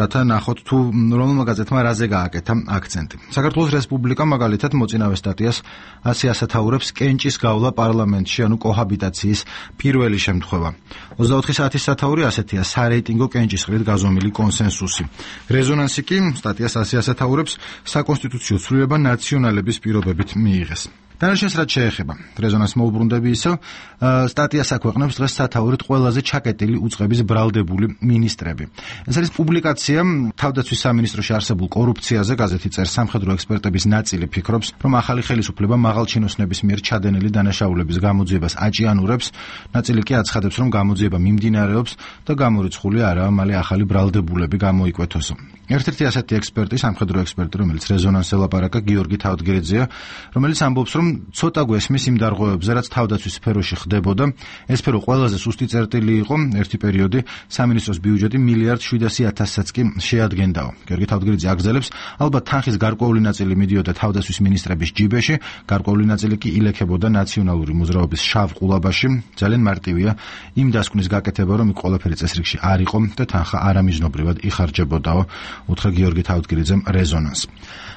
რათა ნახოთ თუ რომელმა გაზეთმა რაზე გააკეთა აქცენტი. საქართველოს რესპუბლიკა მაგალითად მოწინავე სტატიას 100 ასათაურებს კენჭის გავლა პარლამენტში, ანუ კოჰაბიტაციის პირველი შემთხვევა. 24 საათის სათაური ასეთია, სარეიტინგო კენჭისყრით გაზომილი კონსენსუსი. რეზონანსი კი სტატიას 100 ასათაურებს საკონსტიტუციო ცვლილება ნაციონალების პირობებით მიიღეს. დანარჩენს რაც შეეხება რეზონანსს მოუბრუნდები ისევ სტატიას აქვეყნებს დღეს სათაურით ყველაზე ჩაკეტილი უწყების ბრალდებული მინისტრები. ეს არის პუბლიკაცია თავდაცვის სამინისტროში არსებულ კორუფციაზე. გაზეთი წერს, სამხედრო ექსპერტების ნაწილი ფიქრობს, რომ ახალი ხელისუფლება მაღალჩინოსნების მიერ ჩადენილი დანაშაულების გამოძიებას აჭიანურებს, ნაწილი კი აცხადებს, რომ გამოძიება მიმდინარეობს და გამორიცხული არაა მალე ახალი ბრალდებულები გამოიკვეთოსო. ერთ-ერთი ასეთი ექსპერტი, სამხედრო ექსპერტი, რომელიც რეზონანსს ელაპარაკა, გიორგი თავდგირიძეა, რომელიც ამბობს, რომ ცოტა გვესმის იმ დარღვევებზე, რაც თავდაცვის სფეროში ხდებოდა. ეს სფერო ყველაზე სუსტი წერტილი იყო, ერთი პერიოდი სამინისტროს ბიუჯეტი 1,700,000-საც კი შეადგენდაო. გიორგი თავდგირიძე აგრძელებს, ალბათ თანხის გარკვეული ნაწილი მიდიოდა თავდაცვის მინისტრების ჯიბეში, გარკვეული ნაწილი კი ილექებოდა ნაციონალური მოძრაობის შავ ყულაბაში. ძალიან მარტივია იმ დასკვნის გაკეთება, რომ იქ ყველაფერი წესრიგში არ იყო და თანხა არამიზნობრივად იხარჯებოდაო, უთხრა გიორგი თავდგირიძემ რეზონანსს.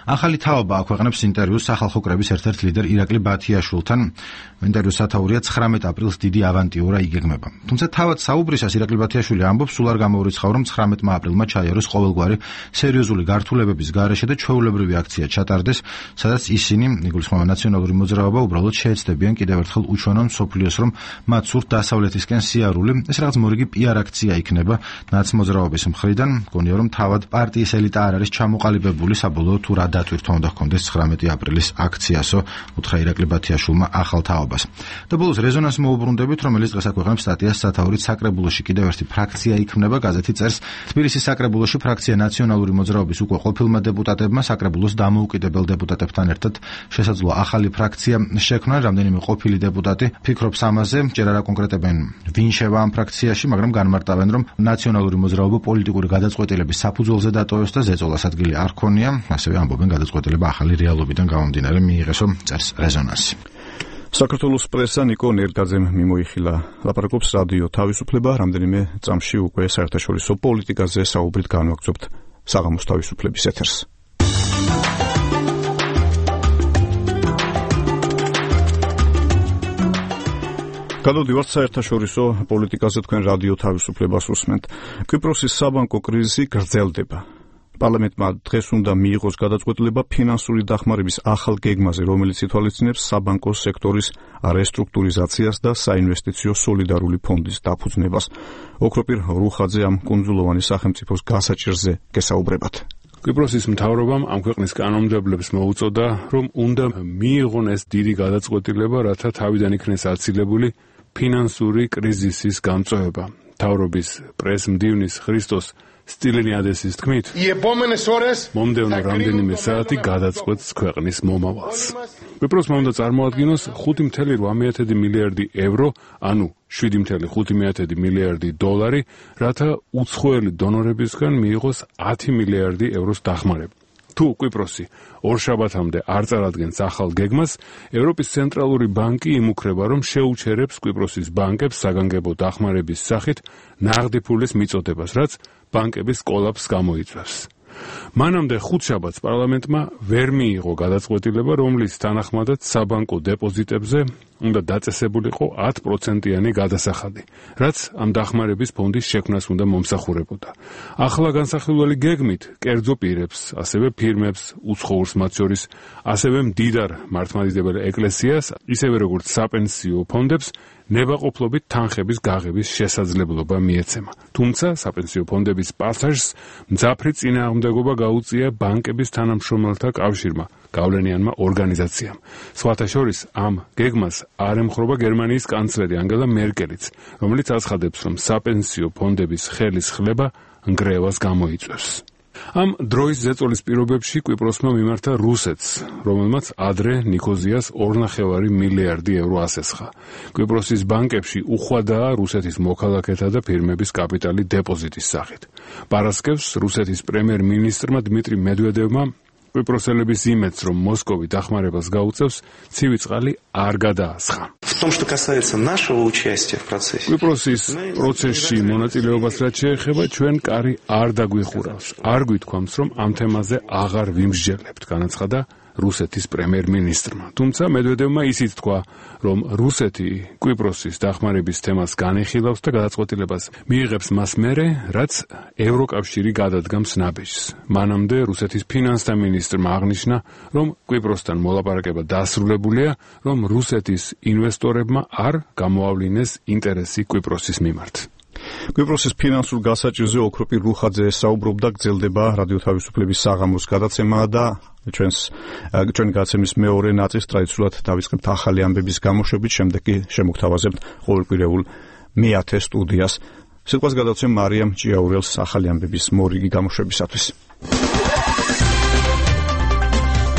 ახალი თაობა აქვეყნებს ინტერვიუს სახალხო კრების ერთ-ერთ ლიდერ ირაკლი ბათიაშვილთან. ინტერვიუს სათაურია 19 აპრილს დიდი ავანტიურა იგეგმება. თუმცა თავად საუბრისას ირაკლი ბათიაშვილი ამბობს, სულ არ გამოურიცხავ, რომ 19 აპრილმა ჩაიაროს ყოველგვარი სერიოზული გართულებების გარეშე და ჩვეულებრივი აქცია ჩატარდეს, სადაც ისინი, იგულისხმება ნაციონალური მოძრაობა, უბრალოდ შეეცდებიან კიდევ ერთხელ უჩვენონ მსოფლიოს, რომ მათ სურთ დასავლეთისკენ სიარული. ეს რაღაც მორიგი პიარ აქცია იქნება ნაცმოძრაობის მხრიდან. მგონია, რომ თავად პარტიის ელიტა არ არის ჩამოყალიბებული საბოლოო თუ რა დატვირთვა უნდა ჰქონდეს 19 აპრილის აქციასო, უთხრა ირაკლი ბათიაშვილმა ახალ თაობას. და ბოლოს რეზონანსს მოუბრუნდებით, რომელიც დღეს აქვეყნებს სტატიას სათაურით საკრებულოში კიდევ ერთი ფრაქცია იქმნება. გაზეთი წერს, თბილისის საკრებულოში ფრაქცია ნაციონალური მოძრაობის უკვე ყოფილმა დეპუტატებმა საკრებულოს დამოუკიდებელ დეპუტატებთან ერთად შესაძლოა ახალი ფრაქცია შექმნან. რამდენიმე ყოფილი დეპუტატი ფიქრობს ამაზე, ჯერ არ აკონკრეტებენ ვინ შევა ამ ფრაქციაში, მაგრამ განმარტავენ, რომ ნაციონალური მოძრაობა პოლიტიკური გადაწყვეტილების საფუძველზე დატოვეს და ზეწოლას ადგილი არ ქონია. ასევე ამბობენ, გადაწყვეტილება ახალი რეალობიდან გამომდინარე მიიღესო, წერს რეზონანსი. საქართველოს პრესა ნიკო ნერგაძემ მიმოიხილა. ლაპარაკობს რადიო თავისუფლება, რამდენიმე წამში უკვე საერთაშორისო პოლიტიკაზე საუბრით განვაგრძობთ საღამოს თავისუფლების ეთერს. გადავდივართ საერთაშორისო პოლიტიკაზე, თქვენ რადიო თავისუფლებას უსმენთ. კვიპროსის საბანკო კრიზისი გრძელდება. პარლამენტმა დღეს უნდა მიიღოს გადაწყვეტილება ფინანსური დახმარების ახალ გეგმაზე, რომელიც ითვალისწინებს საბანკო სექტორის რესტრუქტურიზაციას და საინვესტიციო სოლიდარული ფონდის დაფუძნებას. ოქროპირ რუხაძე ამ კუნძულოვანი სახელმწიფოს გასაჭირზე გესაუბრებათ. კვიპროსის მთავრობამ ამ ქვეყნის კანონმდებლებს მოუწოდა, რომ უნდა მიიღონ ეს დიდი გადაწყვეტილება, რათა თავიდან იქნეს აცილებული ფინანსური კრიზისის გამწვევება. მთავრობის პრესმდივნის ხრისტოს სტილინიადესის თქმით, მომდევნო რამდენიმე საათი გადაწყვეტს ქვეყნის მომავალს. კვიპროსმა უნდა წარმოადგინოს 5.8 მილიარდი ევრო, ანუ 7.5 მილიარდი დოლარი, რათა უცხოელი დონორებისგან მიიღოს 10 მილიარდი ევროს დახმარება. თუ კვიპროსი ორშაბათამდე არ წარადგენს ახალ გეგმას, ევროპის ცენტრალური ბანკი იმუქრება, რომ შეუჩერებს კვიპროსის ბანკებს საგანგებო დახმარების სახით ნაღდი ფულის მიწოდებას, რაც ბანკების კოლაფსს გამოიწვევს. მანამდე ხუთშაბათს პარლამენტმა ვერ მიიღო გადაწყვეტილება, რომლის თანახმადაც საბანკო დეპოზიტებზე უნდა დაწესებულიყო 10%-იანი გადასახადი, რაც ამ დახმარების ფონდის შექმნას უნდა მომსახურებოდა. ახლა განსახილველი გეგმით კერძო პირებს, ასევე ფირმებს, უცხოურს მათ შორის, ასევე მდიდარ მართლმადიდებელ ეკლესიას, ისევე როგორც საპენსიო ფონდებს ნებაყოფლობით თანხების გაღების შესაძლებლობა მიეცემა. თუმცა საპენსიო ფონდების პასაჟს მძაფრი წინააღმდეგობა გაუწია ბანკების თანამშრომელთა კავშირმა, გავლენიანმა ორგანიზაციამ. სხვათა შორის ამ გეგმას არ ემხრობა გერმანიის კანცლერი ანგელა მერკელიც, რომელიც აცხადებს, რომ საპენსიო ფონდების ხელის ხლება ნგრევას გამოიწვევს. ამ დროის ზეწოლის პირობებში კვიპროსმა მიმართა რუსეთს, რომელმაც ადრე ნიქოზიას 2.5 მილიარდი ევრო ასესხა. კვიპროსის ბანკებში უხვადაა რუსეთის მოქალაქეთა და ფირმების კაპიტალი დეპოზიტის სახით. პარასკევს რუსეთის პრემიერ-მინისტრმა დმიტრი მედვედევმა კვიპროსელების იმედს, რომ მოსკოვი დახმარებას გაუწევს, ცივი წყალი არ გადაასხა. კვიპროსის პროცესში მონაწილეობას რაც შეეხება, ჩვენ კარი არ დაგვიხურავს. არ გვითქვამს, რომ ამ თემაზე აღარ ვიმსჯელებთ, განაცხადა რუსეთის პრემიერ-მინისტრმა. თუმცა მედვედევმა ისიც თქვა, რომ რუსეთი კვიპროსის დახმარების თემას განიხილავს და გადაწყვეტილებას მიიღებს მას მერე, რაც ევროკავშირი გადადგამს ნაბეჯს. მანამდე რუსეთის ფინანსთა მინისტრმა აღნიშნა, რომ კვიპროსთან მოლაპარაკება დასრულებულია, რომ რუსეთის ინვესტორებმა არ გამოავლინეს ინტერესი კვიპროსის მიმართ. კვიპროსის ფინანსურ გასაჭირზე ოქროპირ რუხაძე საუბრობდა, გრძელდება რადიო თავისუფლების საღამოს გადაცემა და ჩვენი გადაცემის მეორე ნაწილს ტრადიციულად დავიწყებთ ახალი ამბების გამოშვებით, შემდეგ კი შემოგთავაზებთ ყოველკვირეულ მე-10 სტუდიას. სიტყვას გადავცემ მარიამ ჭიაურელს ახალი ამბების მორიგი გამოშვებისათვის.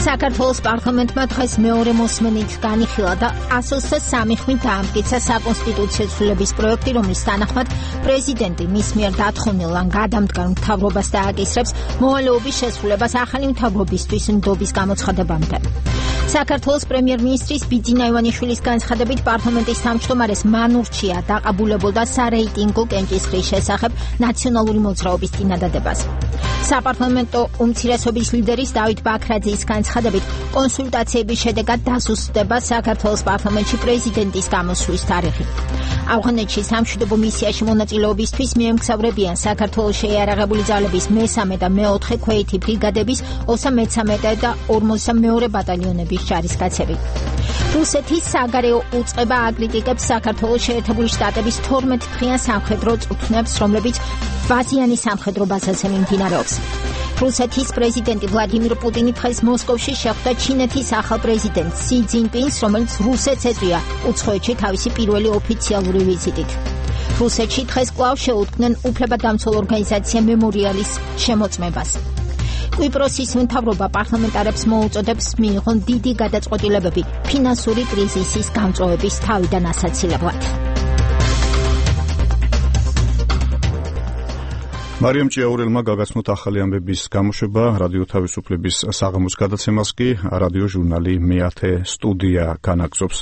საქართველოს პარლამენტმა დღეს მეორე მოსმენით განიხილა და 123 ხვით დაამტკიცა საკონსტიტუციო ცვლილების პროექტი, რომლის თანახმად პრეზიდენტი მის მიერ დათხოვნილ ან გადამდგარ მთავრობას დააკისრებს მოვალეობის შესრულებას ახალი მთავრობისთვის ნდობის გამოცხადებამდე. საქართველოს პრემიერ-მინისტრის ბიძინა ივანიშვილის განცხადებით, პარლამენტის თავმჯდომარეს მან ურჩია დაყაბულებულდა სარეიტინგო კენჭისყრის შესახებ ნაციონალური მოძრაობის წინადადებას. საპარლამენტო უმცირესობის ლიდერის დავით ბაქრაძის განცხადებით, კონსულტაციების შედეგად დასუსტდება საქართველოს პარლამენტში პრეზიდენტის გამოსვლის თარიღი. ავღანეთში სამშვიდობო მისიაში მონაწილეობისთვის მიემგზავრებიან საქართველოს შეიარაღებული ძალების 3 და 4 ქვეითი ბრიგადების 33 და 42 ბატალიონების ჯარისკაცები. რუსეთის საგარეო უწყება აკრიტიკებს საქართველოს შეერთებული შტატების 12 დღიან სამხედრო წვრთნებს, რომლებიც ბაზიანი სამხედრო ბაზაზე მიმდინარეობს. რუსეთის პრეზიდენტი ვლადიმირ პუტინი დღეს მოსკოვში შეხვდა ჩინეთის ახალ პრეზიდენტ სი ძინპინს, რომელიც რუსეთს ეწვია უცხოეთში თავისი პირველი ოფიციალური ვიზიტით. რუსეთში დღეს კვლავ შეუდგნენ უფლებადამცველ ორგანიზაცია მემორიალის შემოწმებას. კვიპროსის მთავრობა პარლამენტარებს მოუწოდებს მიიღონ დიდი გადაწყვეტილებები ფინანსური კრიზისის გამწვავების თავიდან ასაცილებლად. მარიამ ჭიაურელმა გაგაცნოთ ახალი ამბების გამოშვება რადიო თავისუფლების საღამოს გადაცემას კი რადიო ჟურნალი მე-10 სტუდია განაგზობს.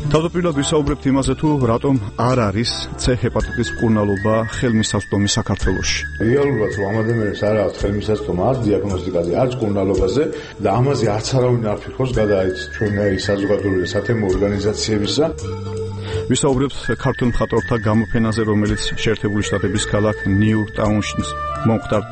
თავდაპირველად ვისაუბრებთ იმაზე, თუ რატომ არ არის C ჰეპატიტის მკურნალობა ხელმისაწვდომი საქართველოში. რეალურად რომ ამ ადამიანებს არ აქვს ხელმისაწვდომა არც დიაგნოსტიკაზე, არც მკურნალობაზე და ამაზე არც არავინ არ ფიქრობს გადაეცით ჩვენი საზოგადოებრივი სათემო ორგანიზაციებისა. ვისაუბრებთ ქართულ მხატვართა გამოფენაზე, რომელიც შეერთებული შტატების ქალაქ ნიუ-ტაუნში მომხდარ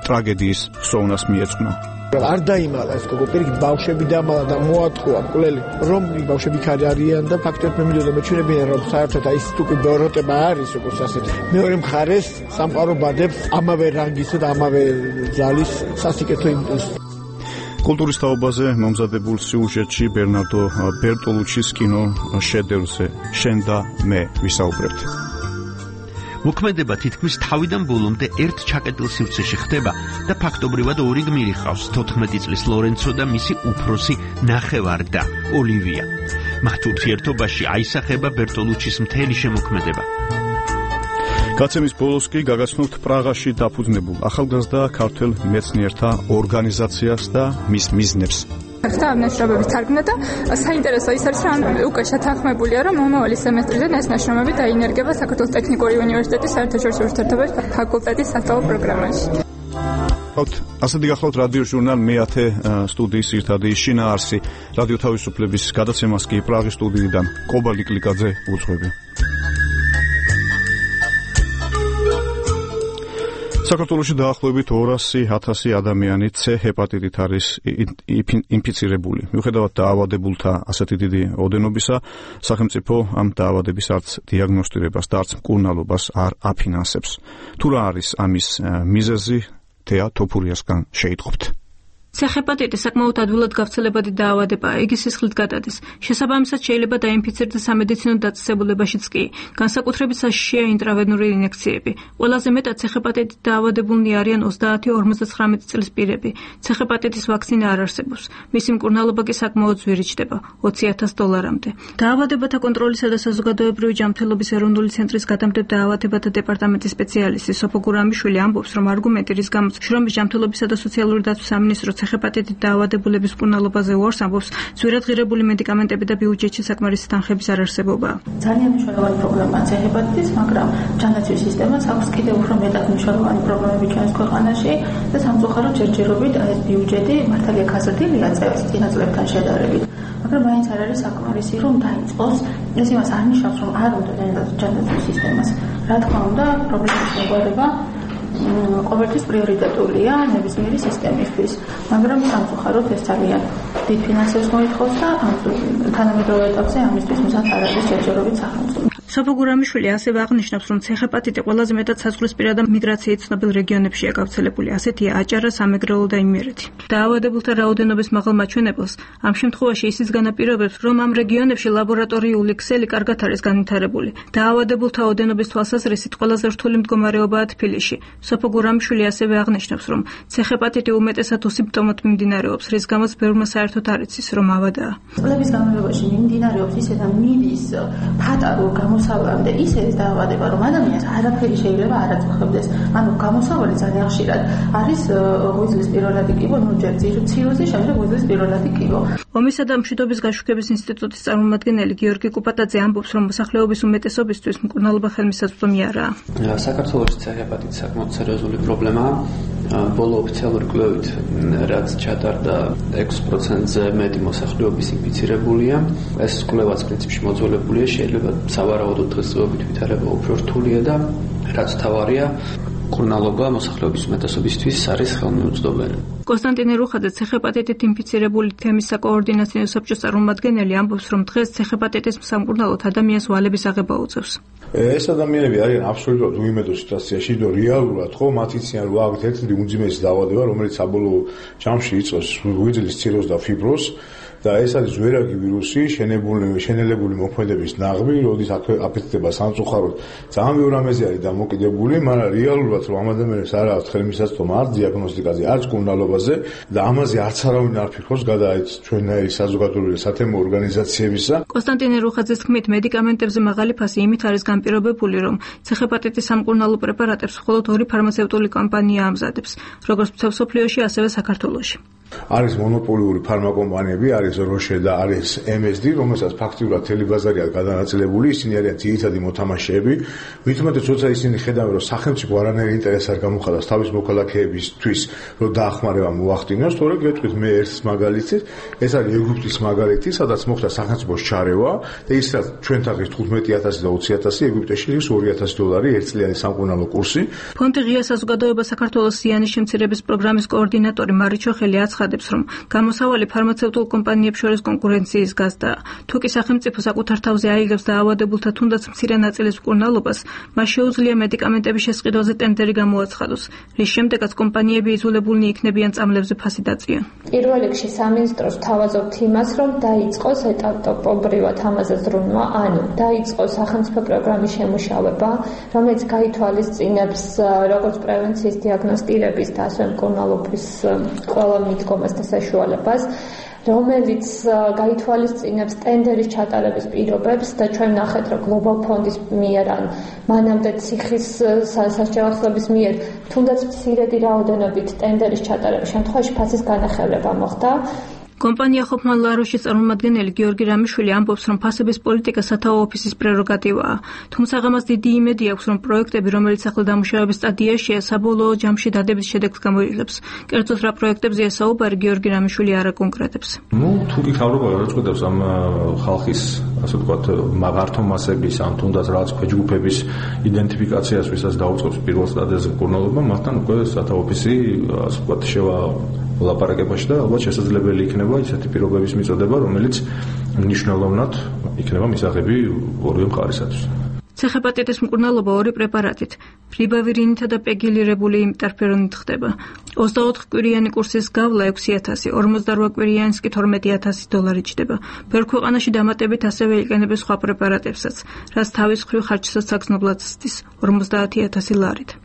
ტრაგედიის ხსოვნას მიეძღვნა. არ დაიმალა ეს გოგო პირიქით ბავშვები დამალა და მოატყუა მკვლელი რომ ბავშვები ქარი არიან და ფაქტობრივად მე მივიდა მეჩვენებიან რომ საერთოდ აი ეს თუკი ბოროტება არის როგორც ასეთი მეორე მხარეს სამყარო ბადებს ამავე რანგისა და ამავე ძალის სასიკეთო იმპულსი. კულტურის თაობაზე მომზადებულ სიუჟეტში ბერნარდო ბერტოლუჩის კინო შედევრზე შენ და მე ვისაუბრებთ. მოქმედება თითქმის თავიდან ბოლომდე ერთ ჩაკეტილ სივრცეში ხდება და ფაქტობრივად ორი გმირი ყავს 14 წლის ლორენცო და მისი უფროსი ნახევარ-და ოლივია. მათ ურთიერთობაში აისახება ბერტოლუჩის მთელი შემოქმედება. გაცემის ბოლოს კი გაგაცნობთ პრაღაში დაფუძნებულ ახალგაზრდა ქართველ მეცნიერთა ორგანიზაციას და მის მიზნებს. და ამ ნაშრომების თარგმნა და საინტერესო ის არის, რომ უკვე შეთანხმებულია, რომ მომავალი სემესტრიდან ეს ნაშრომები დაინერგება საქართველოს ტექნიკური უნივერსიტეტის საერთაშორისო ურთიერთობების ფაკულტეტის სასწავლო პროგრამაში. ასეთი გახლავთ რადიო ჟურნალ მე-10 სტუდიის ერთადი შინაარსი. რადიო თავისუფლების გადაცემას კი პრაღის სტუდიიდან კობალი კლიკაძე უძღვები. საქართველოში დაახლოებით 200,000 ადამიანი C ჰეპატიტით არის ინფიცირებული. მიუხედავად დაავადებულთა ასეთი დიდი ოდენობისა, სახელმწიფო ამ დაავადების არც დიაგნოსტირებას და არც მკურნალობას არ აფინანსებს. თუ რა არის ამის მიზეზი, თეა თოფურიასგან შეიტყობთ. C-ჰეპატიტი საკმაოდ ადვილად გავრცელებადი დაავადებაა, იგი სისხლით გადადის. შესაბამისად შეიძლება დაინფიცირდეს სამედიცინო დაწესებულებაშიც კი. განსაკუთრებით საშიშია ინტრავენური ინექციები. ყველაზე მეტად C-ჰეპატიტით დაავადებულნი არიან 30-59 წლის პირები. C-ჰეპატიტის ვაქცინა არ არსებობს. მისი მკურნალობა კი საკმაოდ ძვირი ჩდება, $20,000-მდე. დაავადებათა კონტროლისა და საზოგადოებრივი ჯანმრთელობის ეროვნული ცენტრის გადამდებარე დაავადებათა დეპარტამენტის სპეციალისტი სოფო გურამიშვილი ამბობს, რომ არგუმენტი რის გამოც შრომის ჯანმრთელობისა და სოციალური დაცვის სამინისტროს C-ჰეპატიტით დაავადებულების მკურნალობაზე უარს ამბობს, ძვირად ღირებული მედიკამენტები და ბიუჯეტში საკმარისი თანხების არ არსებობაა. ძალიან მნიშვნელოვანი პრობლემაა C-ჰეპატიტის, მაგრამ ჯანდაცვის სისტემას აქვს კიდევ უფრო მეტად მნიშვნელოვანი პრობლემები ჩვენს ქვეყანაში და სამწუხაროდ ჯერჯერობით ეს ბიუჯეტი მართალია გაზრდილია წინა წლებთან შედარებით. მაგრამ მაინც არ არის საკმარისი, რომ დაიწყოს. ეს იმას არ ნიშნავს, რომ არ უნდა ჯანდაცვის სისტემას. რა თქმა უნდა, პრობლემის მოგვარება ყოველთვის პრიორიტეტულია ნებისმიერი სისტემისთვის, მაგრამ სამწუხაროდ ეს ძალიან დიდ ფინანსებს მოითხოვს და თანამედროვე ეტაპზე ამისთვის მზად არ არის ჯერჯერობით სახელმწიფო. სოფო გურამიშვილი ასევე აღნიშნავს, რომ C-ჰეპატიტი ყველაზე მეტად საზღვრისპირა და მიგრაციით ცნობილ რეგიონებშია გავრცელებული, ასეთია აჭარა, სამეგრელო და იმერეთი. დაავადებულთა რაოდენობის მაღალ მაჩვენებელს ამ შემთხვევაში ისიც განაპირობებს, რომ ამ რეგიონებში ლაბორატორიული ქსელი კარგად არის განვითარებული. დაავადებულთა ოდენობის თვალსაზრისით ყველაზე რთული მდგომარეობაა თბილისში. სოფო გურამიშვილი ასევე აღნიშნავს, რომ C-ჰეპატიტი უმეტესად უსიმპტომოდ მიმდინარეობს, რის გამოც ბევრმა საერთოდ არ იცის, რომ ავადაა. წლების განმავლობაში მიმდინარეობს ისე და მიდის ფატალურ გამოსავლამდე ისე ეს დაავადება, რომ ადამიანს არაფერი შეიძლება არ აწუხებდეს. ანუ გამოსავალი ძალიან ხშირად არის ღვიძლის პირველადი კიბო, ჯერ ციროზი, შემდეგ ღვიძლის პირველადი კიბო. ომისა და მშვიდობის გაშუქების ინსტიტუტის წარმომადგენელი გიორგი კუპატაძე ამბობს, რომ მოსახლეობის უმეტესობისთვის მკურნალობა ხელმისაწვდომი არაა. საქართველოში C-ჰეპატიტი საკმაოდ სერიოზული პრობლემაა. ბოლო ოფიციალური კვლევით, რაც ჩატარდა 6%-ზე მეტი მოსახლეობის ინფიცირებულია. ეს კვლევაც პრინციპში მოძველებულია, შეიძლება სავარაუდოდ დღესდღეობით ვითარება უფრო რთულია და რაც თავარია, მკურნალობა მოსახლეობის უმეტესობისთვის არის ხელმიუწვდომელი. კონსტანტინე რუხაძე C-ჰეპატიტით ინფიცირებული თემის საკოორდინაციო საბჭოს წარმომადგენელი ამბობს, რომ დღეს C-ჰეპატიტის სამკურნალოდ ადამიანს ვალების აღება უწევს. ეს ადამიანები არიან აბსოლუტურად უიმედო სიტუაციაში, რომ რეალურად ხო მათ იციან, რომ აქ ერთ-ერთი უმძიმესი დაავადება, რომელიც საბოლოო ჯამში იწვევს ღვიძლის ციროზს და ფიბროზს. და ეს არის ზვერაგი ვირუსი, შენელებული მოქმედების ნაღმი, როდის აფეთქდება სამწუხაროდ. ძალიან ბევრი რამეზე არის დამოკიდებული, მაგრამ რეალურად რომ ამ ადამიანებს არ აქვს ხელმისაწვდომა არც დიაგნოსტიკაზე, არც მკურნალობაზე და ამაზე არც არავინ არ ფიქრობს გადაეც ჩვენნაირი საზოგადოებრივი სათემო ორგანიზაციებისა. კონსტანტინე რუხაძის თქმით, მედიკამენტებზე მაღალი ფასი იმით არის განპირობებული, რომ C-ჰეპატიტის სამკურნალო პრეპარატებს მხოლოდ ორი ფარმაცევტული კომპანია ამზადებს, როგორც მსოფლიოში, ასევე საქართველოში. არის მონოპოლიური ფარმაკომპანიები, არის როშე და არის MSD, რომელსაც ფაქტიურად მთელი ბაზარი აქვს გადანაწილებული, ისინი არიან ძირითადი მოთამაშეები. მით უმეტეს, როცა ისინი ხედავენ, რომ სახელმწიფო არანაირი ინტერესი არ გამოხატავს თავის მოქალაქეებისთვის, რომ დაახმარება მოახდინოს, თორე გეტყვით მე ერთ მაგალითს, ეს არის ეგვიპტის მაგალითი, სადაც მოხდა სახელმწიფოს ჩარევა და ის რაც ჩვენთან ღირს 15,000 და 20,000, ეგვიპტეში ღირს $2,000 ერთწლიანი სამკურნალო კურსი. ფონდი ღია საზოგადოება საქართველოს ზიანის შემცირების პროგრამის კოორდინატორი მარიჩო ხელიაც აცხადებს, რომ გამოსავალი ფარმაცევტულ კომპანიებს შორის კონკურენციის გაზრდაა. თუ კი სახელმწიფო საკუთარ თავზე აიღებს დაავადებულთა თუნდაც მცირე ნაწილის მკურნალობას, მას შეუძლია მედიკამენტების შესყიდვაზე ტენდერი გამოაცხადოს, რის შემდეგაც კომპანიები იძულებულნი იქნებიან წამლებზე ფასი დაწიონ. პირველ რიგში სამინისტროს თავაზობთ იმას, რომ დაიწყოს ეტაპობრივად ამაზე ზრუნვა, ანუ დაიწყოს სახელმწიფო პროგრამის შემუშავება, რომელიც გაითვალისწინებს როგორც პრევენციის, დიაგნოსტირების და ასევე მკურნალობის ყველა მიდგომას და საშუალებას, რომელიც გაითვალისწინებს ტენდერის ჩატარების პირობებს და ჩვენ ნახეთ, რომ Global Fund-ის მიერ ან მანამდე ციხის სასჯელახსნების მიერ თუნდაც მცირედი რაოდენობით ტენდერის ჩატარების შემთხვევაში ფასის განახევრება მოხდა. კომპანია ხოფმან ლაროშის წარმომადგენელი გიორგი რამიშვილი ამბობს, რომ ფასების პოლიტიკა სათაო ოფისის პრეროგატივაა. თუმცა ამას დიდი იმედი აქვს, რომ პროექტები, რომელიც ახლა დამუშავების სტადიაშია, საბოლოო ჯამში დადების შედეგს გამოიღებს. კერძოდ რა პროექტებზეა საუბარი, გიორგი რამიშვილი არ აკონკრეტებს. თუ კი ხავრობა გადაწყვეტებს ამ ხალხის, ასე ვთქვათ, მაღართო მასების ან თუნდაც რაღაც ქვეჯგუფების იდენტიფიკაციას, ვისაც დაუწყობს პირველ სტადიაზე მკურნალობა, მათთან უკვე სათაო ოფისი, ასე ვთქვათ, შევა ლაპარაკებაში და ალბათ შესაძლებელი იქნება ისეთი პირობების მიწოდება, რომელიც მნიშვნელოვნად იქნება მისაღები ორივე მხარისათვის. ცეხეპატიტის მკურნალობა ორი პრეპარატით, ფლიბავირინითა და პეგილირებული იმპერფერონით ხდება. 24 კვირიანი კურსის გავლა 6000, 48 კვირიანის კი $12,000 ჩდება. ბევრ ქვეყანაში დამატებით ასევე იყენებს სხვა პრეპარატებსაც, რაც თავის მხრივ ხარჯსაც საგრძნობლად ზრდის 50,000 ლარით.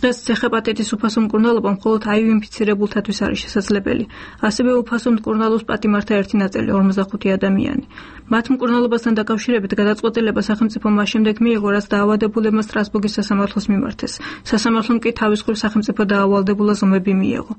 დღეს ცეხეპატიტის უფასო მკურნალობა მხოლოდ HIV ინფიცირებულთათვის არის შესაძლებელი. ასევე უფასო მკურნალობს პატიმართა ერთი ნაწილი 45 ადამიანი. მათ მკურნალობასთან დაკავშირებით გადაწყვეტილება სახელმწიფომ მას შემდეგ მიიღო, რაც დაავადებულებმა სტრასბურგის სასამართლოს მიმართეს. სასამართლომ კი თავის მხრივ სახელმწიფო დაავალდებულას ომები მიიღო.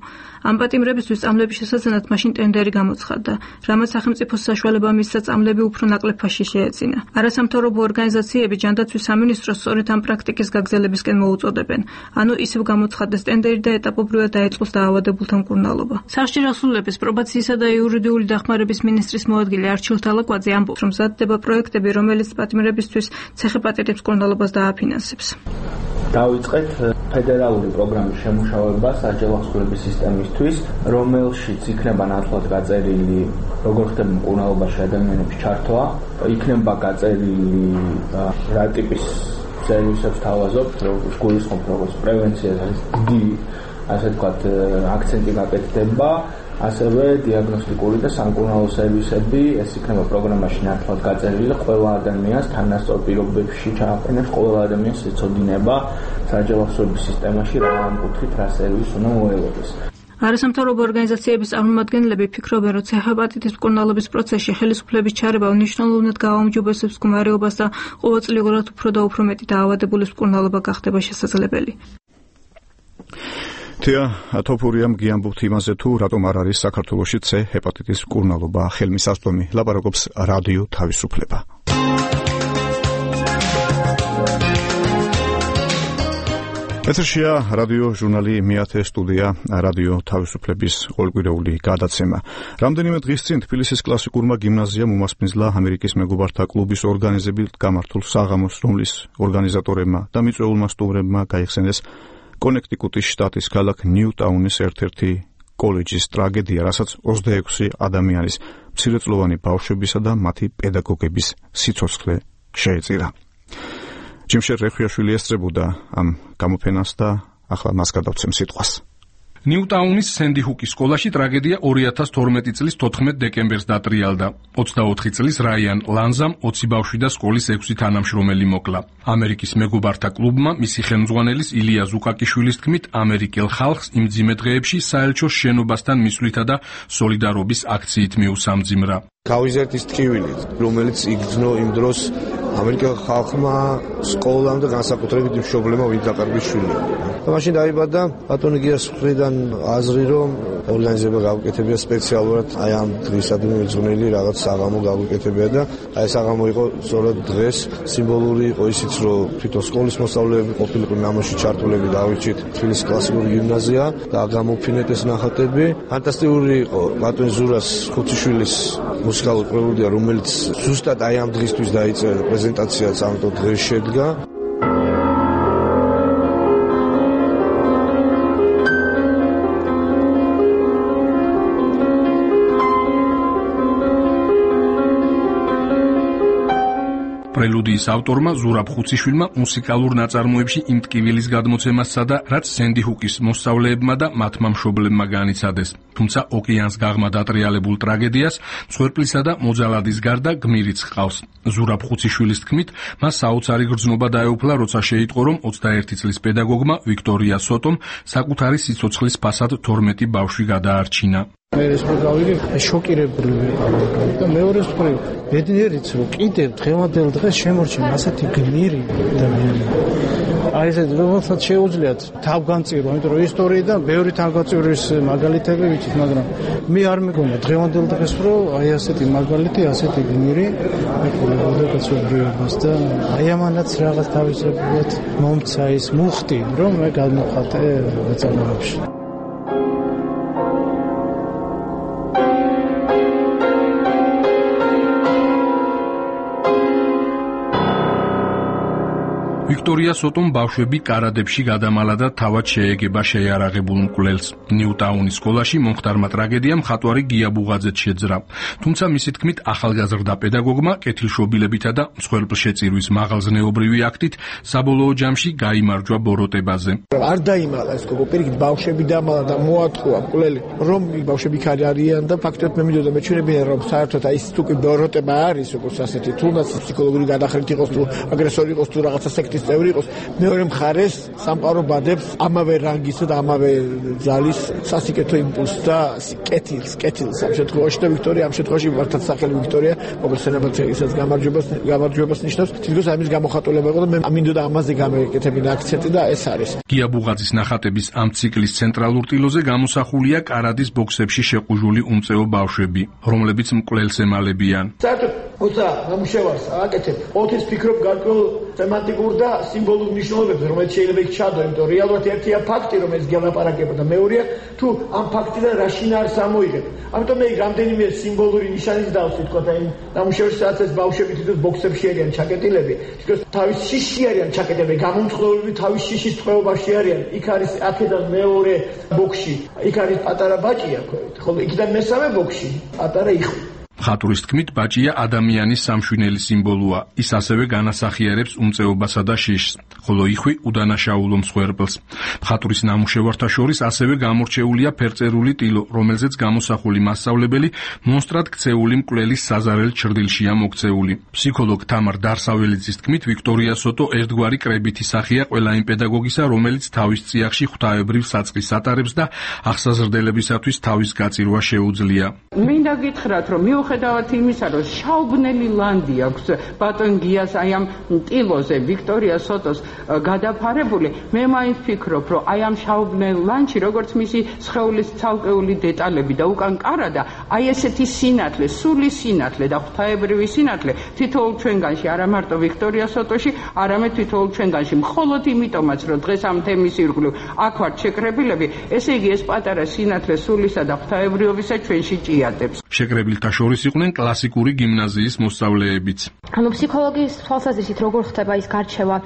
ამ პატიმრებისთვის წამლების შესაძენად მაშინ ტენდერი გამოცხადდა, რამაც სახელმწიფოს საშუალება მისცა წამლები უფრო ნაკლებ ფასში შეეწინა. არასამთავრობო ორგანიზაციები ჯანდაცვის სამინისტროს სწორედ ამ პრაქტიკის გაგრძელებისკენ მოუწოდებენ. ანუ ისევ გამოცხადდეს ტენდერი და ეტაპობრივად დაიწყოს დაავადებულთა მკურნალობა. სახლში დასრულების პრობაციისა და იურიდიული დახმარების მინისტრის მოადგილე არჩილ თალაკვაძე ამბობს, რომ მზადდება პროექტები, რომელიც პატიმრებისთვის ცეხეპატიტის მკურნალობას დააფინანსებს. დავიწყეთ ფედერალური პროგრამის შემუშავება სასჯელახსნების სისტემისთვის, რომელშიც იქნება ნათლად გაწერილი, როგორ ხდება მკურნალობაში ადამიანების ჩართვა, იქნება გაწერილი რა ტიპის სერვისებს თავაზობთ, როგორც გულისხმობთ, როგორც პრევენციას არის დიდი, ასე ვთქვათ, აქცენტი გაკეთდება, ასევე დიაგნოსტიკური და სამკურნალო სერვისები, ეს იქნება პროგრამაში ნათლად გაწერილი, ყველა ადამიანს თანასწორ პირობებში ჩააყენებს, ყველა ადამიანს ეცოდინება სასჯელახსნების სისტემაში რა ამ კუთხით რა სერვისს უნდა მოელოდეს. არასამთავრობო ორგანიზაციების წარმომადგენლები ფიქრობენ, რომ ცეხეპატიტის მკურნალობის პროცესში ხელისუფლების ჩარევა უნიშნელოვნად გააუმჯობესებს მდგომარეობას და ყოველწლიურად უფრო და უფრო მეტი დაავადებულის მკურნალობა გახდება შესაძლებელი. თეა ათოფურიამ გიამბობთ იმაზე, თუ რატომ არ არის საქართველოში ცე-ჰეპატიტის მკურნალობა ხელმისაწვდომი. ლაპარაკობს რადიო თავისუფლება. ეთერშია რადიო ჟურნალი მეათე სტუდია რადიო თავისუფლების ყოველკვირეული გადაცემა. რამდენიმე დღის წინ თბილისის კლასიკურმა გიმნაზიამ უმასპინძლა ამერიკის მეგობართა კლუბის ორგანიზებით გამართულ საღამოს, რომლის ორგანიზატორებმა და მიწვეულმა სტუმრებმა გაიხსენეს კონექტიკუტის შტატის ქალაქ ნიუტაუნის ერთ-ერთი კოლეჯის ტრაგედია, რასაც 26 ადამიანის მცირეწლოვანი ბავშვებისა და მათი პედაგოგების სიცოცხლე შეეწირა. ჯიმშერ რეხვიაშვილი ესწრებოდა ამ გამოფენას და ახლა მას გადავცემ სიტყვას. ნიუტაუნის სენდი ჰუკის სკოლაში ტრაგედია 2012 წლის 14 დეკემბერს დატრიალდა. 24 წლის რაიან ლანზამ 20 ბავშვი და სკოლის 6 თანამშრომელი მოკლა. ამერიკის მეგობართა კლუბმა მისი ხელმძღვანელის ილია ზუკაკიშვილის თქმით, ამერიკელ ხალხს იმ მძიმე დღეებში საელჩოს შენობასთან მისვლითა და სოლიდარობის აქციით მიუსამძიმრა. გავიზერტის ტკივილით, რომელიც იგრძნო იმ დროს ამერიკელ ხალხმა სკოლამ და განსაკუთრებით მშობლებმა ვინც დაკარგვის შვილი. და მაშინ დაიბადა ბატონი გიას მხრიდან აზრი, რომ ორგანიზება გავუკეთებია სპეციალურად აი ამ დღისადმი მიძღვნილი რაღაც საღამო გავუკეთებია და აი საღამო იყო სწორედ დღეს სიმბოლური იყო ისიც, რომ თვითონ სკოლის მოსწავლეები ყოფილიყო ნამოში ჩართულები დავიჭით თბილისის კლასიკური გიმნაზია და გამოფინეთ ეს ნახატები. ფანტასტიკური იყო ბატონი ზურას ხუციშვილის მუსიკალური პრელუდია, რომელიც ზუსტად აი ამ დღისთვის დაიწერა პრეზენტაციაც ამ დღეს შედგა. პრელუდიის ავტორმა ზურაბ ხუციშვილმა მუსიკალურ ნაწარმოებში იმ ტკივილის გადმოცემას სცადა, რაც სენდი ჰუკის მოსწავლეებმა და მათმა მშობლებმა განიცადეს. თუმცა ოკეანს გაღმა დატრიალებულ ტრაგედიას მსხვერპლისა და მოძალადის გარდა გმირიც ჰყავს. ზურაბ ხუციშვილის თქმით, მას საოცარი გრძნობა დაეუფლა, როცა შეიტყო, რომ 21 წლის პედაგოგმა ვიქტორია სოტომ საკუთარი სიცოცხლის ფასად 12 ბავშვი გადაარჩინა. მე ეს პროგრამები შოკირებული ვიყავ და მეორე მხრივ ბედნიერიც რომ კიდევ დღევანდელ დღეს შემორჩენ ასეთი გმირი ადამიანები. აი ეს რომელსაც შეუძლიათ თავგანწირვა, იმიტომ რომ ისტორიიდან ბევრი თავგანწირვის მაგალითები ვიცით, მაგრამ მე არ მეგონა დღევანდელ დღეს რომ აი ასეთი მაგალითი, ასეთი გმირი ეკოლებოდა კაცობრიობას და აი ამანაც რაღაც თავისებურად მომცა ის მუხტი, რომ მე გადმოხატე ნაწარმოებში. ვიქტორია სოტომ ბავშვები კარადებში გადამალა და თავად შეეგება შეიარაღებულ მკვლელს. ნიუტაუნის სკოლაში მომხდარმა ტრაგედიამ მხატვარი გია ბუღაძეც შეძრა. თუმცა მისი თქმით, ახალგაზრდა პედაგოგმა კეთილშობილებითა და მსხვერპლშეწირვის მაღალზნეობრივი აქტით საბოლოო ჯამში გაიმარჯვა ბოროტებაზე. არ დაიმალა ეს გოგო, პირიქით ბავშვები დამალა და მოატყუა მკვლელი, რომ ბავშვები იქ არიან და ფაქტობრივად მე მინდოდა მეჩვენებინა, რომ საერთოდ აი ეს თუ კი ბოროტება არის, როგორც ასეთი, თუნდაც ფსიქოლოგიური გადახრით იყოს, თუ აგრესორი იყოს, თუ რაღაცა სექტის წევრი იყოს, მეორე მხარეს სამყარო ბადებს ამავე რანგისა და ამავე ძალის სასიკეთო იმპულსს და კეთილს ამ შემთხვევაში და ვიქტორია ამ შემთხვევაში მართლაც სახელი ვიქტორია, მოგესალმებით ისაც გამარჯვებას ნიშნავს, თითქოს ამის გამოხატულება იყო და მე მინდოდა ამაზე გამეკეთებინა აქცენტი და ეს არის. გია ბუღაძის ნახატების ამ ციკლის ცენტრალურ ტილოზე გამოსახულია კარადის ბოქსებში შეყუჟული უმწეო ბავშვები, რომლებიც მკვლელს ემალებიან. საერთოდ ოცა ნამუშევარს აკეთებ, ოთის ფიქრობ გარკვეულ სემანტიკურ და სიმბოლურ მნიშვნელობებზე, რომელიც შეიძლება იქ ჩადო, იმიტომ რეალურად ერთია ფაქტი, რომ ეს გელაპარაკება და მეორეა თუ ამ ფაქტიდან რა შინაარს ამოიღებ. ამიტომ მე რამდენიმე სიმბოლური ნიშანის დავსვით, თქო, და იმ ნამუშევრში სადაც ეს ბავშვები თვითონ ბოქსებში არიან ჩაკეტილები, თქო, თავის შიში არიან ჩაკეტილები, გამომწყვლელები თავის შიშის წყობაში არიან. იქ არის აქედან მეორე ბოქსში, იქ არის პატარა ბაჭია, ხოლო იქიდან მესამე ბოქსში პატარა იხვი. მხატვრის თქმით, ბაჭია ადამიანის სამშვინელი სიმბოლოა. ის ასევე განასახიერებს უმწეობასა და შიშს, ხოლო იხვი უდანაშაულო მსხვერპლს. მხატვრის ნამუშევართა შორის ასევე გამორჩეულია ფერწერული ტილო, რომელზეც გამოსახული მასწავლებელი მონსტრად ქცეული მკვლელის საზარელ ჩრდილშია მოქცეული. ფსიქოლოგ თამარ დარსაველიძის თქმით, ვიქტორია სოტო ერთგვარი კრებითი სახეა ყველა იმ პედაგოგისა, რომელიც თავის წიაღში ღვთაებრივ საწყის ატარებს და ახსაზრდელებისათვის თავის გაწირვა შეუძლია. მინდა გითხრათ, რომ მიუხედავად იმისა, რომ შაუბნელი ლანდი აქვს ბატონ გიას აი ამ ტილოზე ვიქტორია სოტოს გადაფარებული, მე მაინც ფიქრობ, რომ აი ამ შაუბნელ ლანდში, როგორც მისი სხეულის ცალკეული დეტალები და უკან კარადა, აი ესეთი სინათლე, სული სინათლე და ღვთაებრივი სინათლე თითოეულ ჩვენგანში, არა მარტო ვიქტორია სოტოში, არამედ თითოეულ ჩვენგანში, მხოლოდ იმიტომაც, რომ დღეს ამ თემის ირგვლივ აქ ვართ შეკრებილები, ესე იგი ეს პატარა სინათლე სულისა და ღვთაებრიობისა ჩვენში ჭიატებს. შეკრებილთა შორის იყვნენ კლასიკური გიმნაზიის მოსწავლეებიც. ანუ ფსიქოლოგიის თვალსაზრისით როგორ ხდება ის გარჩევა,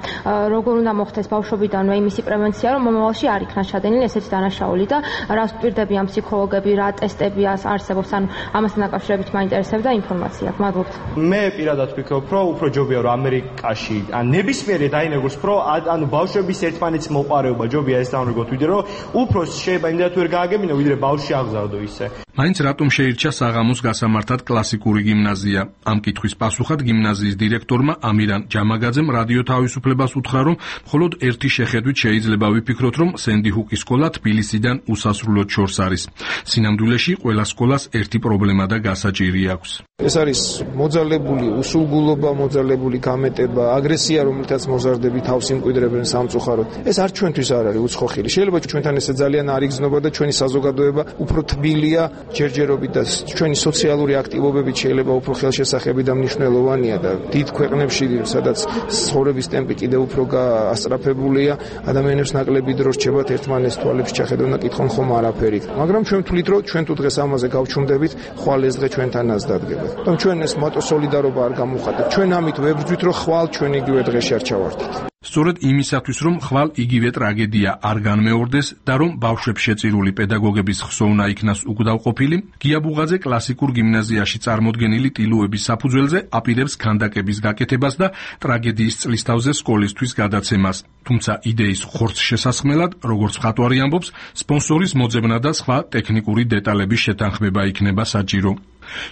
როგორ უნდა მოხდეს ბავშვობიდანვე იმისი პრევენცია, რომ მომავალში არ იქნას ჩადენილი ესეთი დანაშაული და რას ვპირდებიან ფსიქოლოგები, რა ტესტები არსებობს, ანუ ამასთან დაკავშირებით მაინტერესებდა ინფორმაცია. მადლობთ. მე პირადად ვფიქრობ, რომ უფრო ჯობია რომ ამერიკაში ან ნებისმიერი დაინერგოს, რომ ანუ ბავშვების ერთმანეთის მოყარეობა ჯობია ეს დაუნერგოთ, ვიდრე რომ უფრო შეიძლება იმდენად ვერ გააგებინო, ვიდრე ბავშვი აღზარდო ისე. მაინც რატომ შეირჩა საღამოს გასამართად კლასიკური გიმნაზია? ამ კითხვის პასუხად გიმნაზიის დირექტორმა ამირან ჯამაგაძემ რადიო თავისუფლებას უთხრა, რომ მხოლოდ ერთი შეხედვით შეიძლება ვიფიქროთ, რომ სენდი ჰუკის სკოლა თბილისიდან უსასრულოდ შორს არის. სინამდვილეში ყველა სკოლას ერთი პრობლემა და გასაჭირი აქვს. ეს არის მოძალებული უსულგულობა, მოძალებული გამეტება, აგრესია, რომელთაც მოზარდები თავს იმკვიდრებენ სამწუხაროდ. ეს არ ჩვენთვის არ არის უცხოხილი. შეიძლება ჩვენთან ესე ძალიან არ იგრძნობა და ჩვენი საზოგადოება უფრო თბილია, ჯერჯერობით და ჩვენი სოციალური აქტივობებით შეიძლება უფრო ხელშესახები და მნიშვნელოვანია და დიდ ქვეყნებში, სადაც ცხოვრების ტემპი კიდევ უფრო გაასწრაფებულია, ადამიანებს ნაკლები დრო რჩებათ ერთმანეთს თვალებს ჩახედონ და კითხონ ხომ არაფერი. მაგრამ ჩვენ ვთვლით, რომ ჩვენ თუ დღეს ამაზე გავჩუმდებით, ხვალ ეს დღე ჩვენთანაც დადგება. და ჩვენ ეს მოტო სოლიდარობა არ გამოვხატეთ. ჩვენ ამით ვებრძვით, რომ ხვალ ჩვენ იგივე დღეში არ ჩავარდით. სწორედ იმისათვის, რომ ხვალ იგივე ტრაგედია არ განმეორდეს და რომ ბავშვებს შეწირული პედაგოგების ხსოვნა იქნას უკდავყოფილი, გია ბუღაძე კლასიკურ გიმნაზიაში წარმოდგენილი ტილოების საფუძველზე აპირებს ქანდაკების გაკეთებას და ტრაგედიის წლისთავზე სკოლისთვის გადაცემას. თუმცა იდეის ხორცშესასხმელად, როგორც მხატვარი ამბობს, სპონსორის მოძებნა და სხვა ტექნიკური დეტალების შეთანხმება იქნება საჭირო.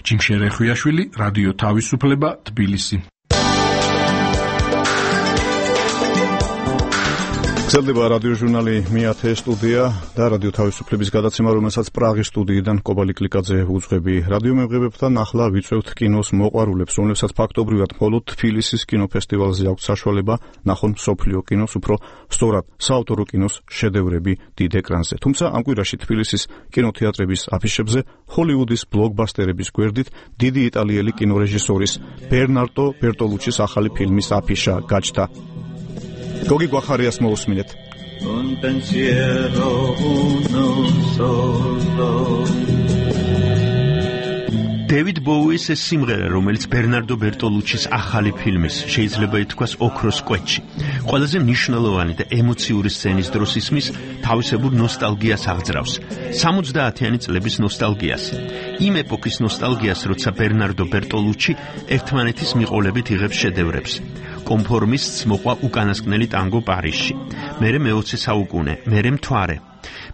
ჯიმშე რეხვიაშვილი, რადიო თავისუფლება, თბილისი. გრძელდება რადიო ჟურნალი მეათე სტუდია და რადიო თავისუფლების გადაცემა, რომელსაც პრაღის სტუდიიდან კობალი კლიკაძე უძღვები. რადიო მემღებებთან ახლა ვიწვევთ კინოს მოყვარულებს, რომლებსაც ფაქტობრივად მხოლოდ თბილისის კინოფესტივალზე აქვთ საშუალება ნახონ მსოფლიო კინოს, უფრო სწორად საავტორო კინოს შედევრები დიდ ეკრანზე. თუმცა ამ კვირაში თბილისის კინოთეატრების აფიშებზე ჰოლივუდის ბლოკბასტერების გვერდით დიდი იტალიელი კინორეჟისორის ბერნარდო ბერტოლუჩის ახალი ფილმის აფიშა გაჩნდა. გოგი გვახარიას მოусმინეთ. დევიდ ბოუის ეს სიმღერა, რომელიც ბერნარდო ბერტოლუჩის ახალი ფილმის, შეიძლება ითქვას ოქროს კვეთში, ყველაზე მნიშვნელოვანი და ემოციური სცენის დროს ისმის, თავისებურ ნოსტალგიას აღძრავს. 70-იანი წლების ნოსტალგიას. იმ ეპოქის ნოსტალგიას, როცა ბერნარდო ბერტოლუჩი ერთმანეთის მიყოლებით იღებს შედევრებს. კონფორმისტს მოყვა უკანასკნელი ტანგო პარიზში. მერე მე-20 საუკუნე, მერე მთვარე.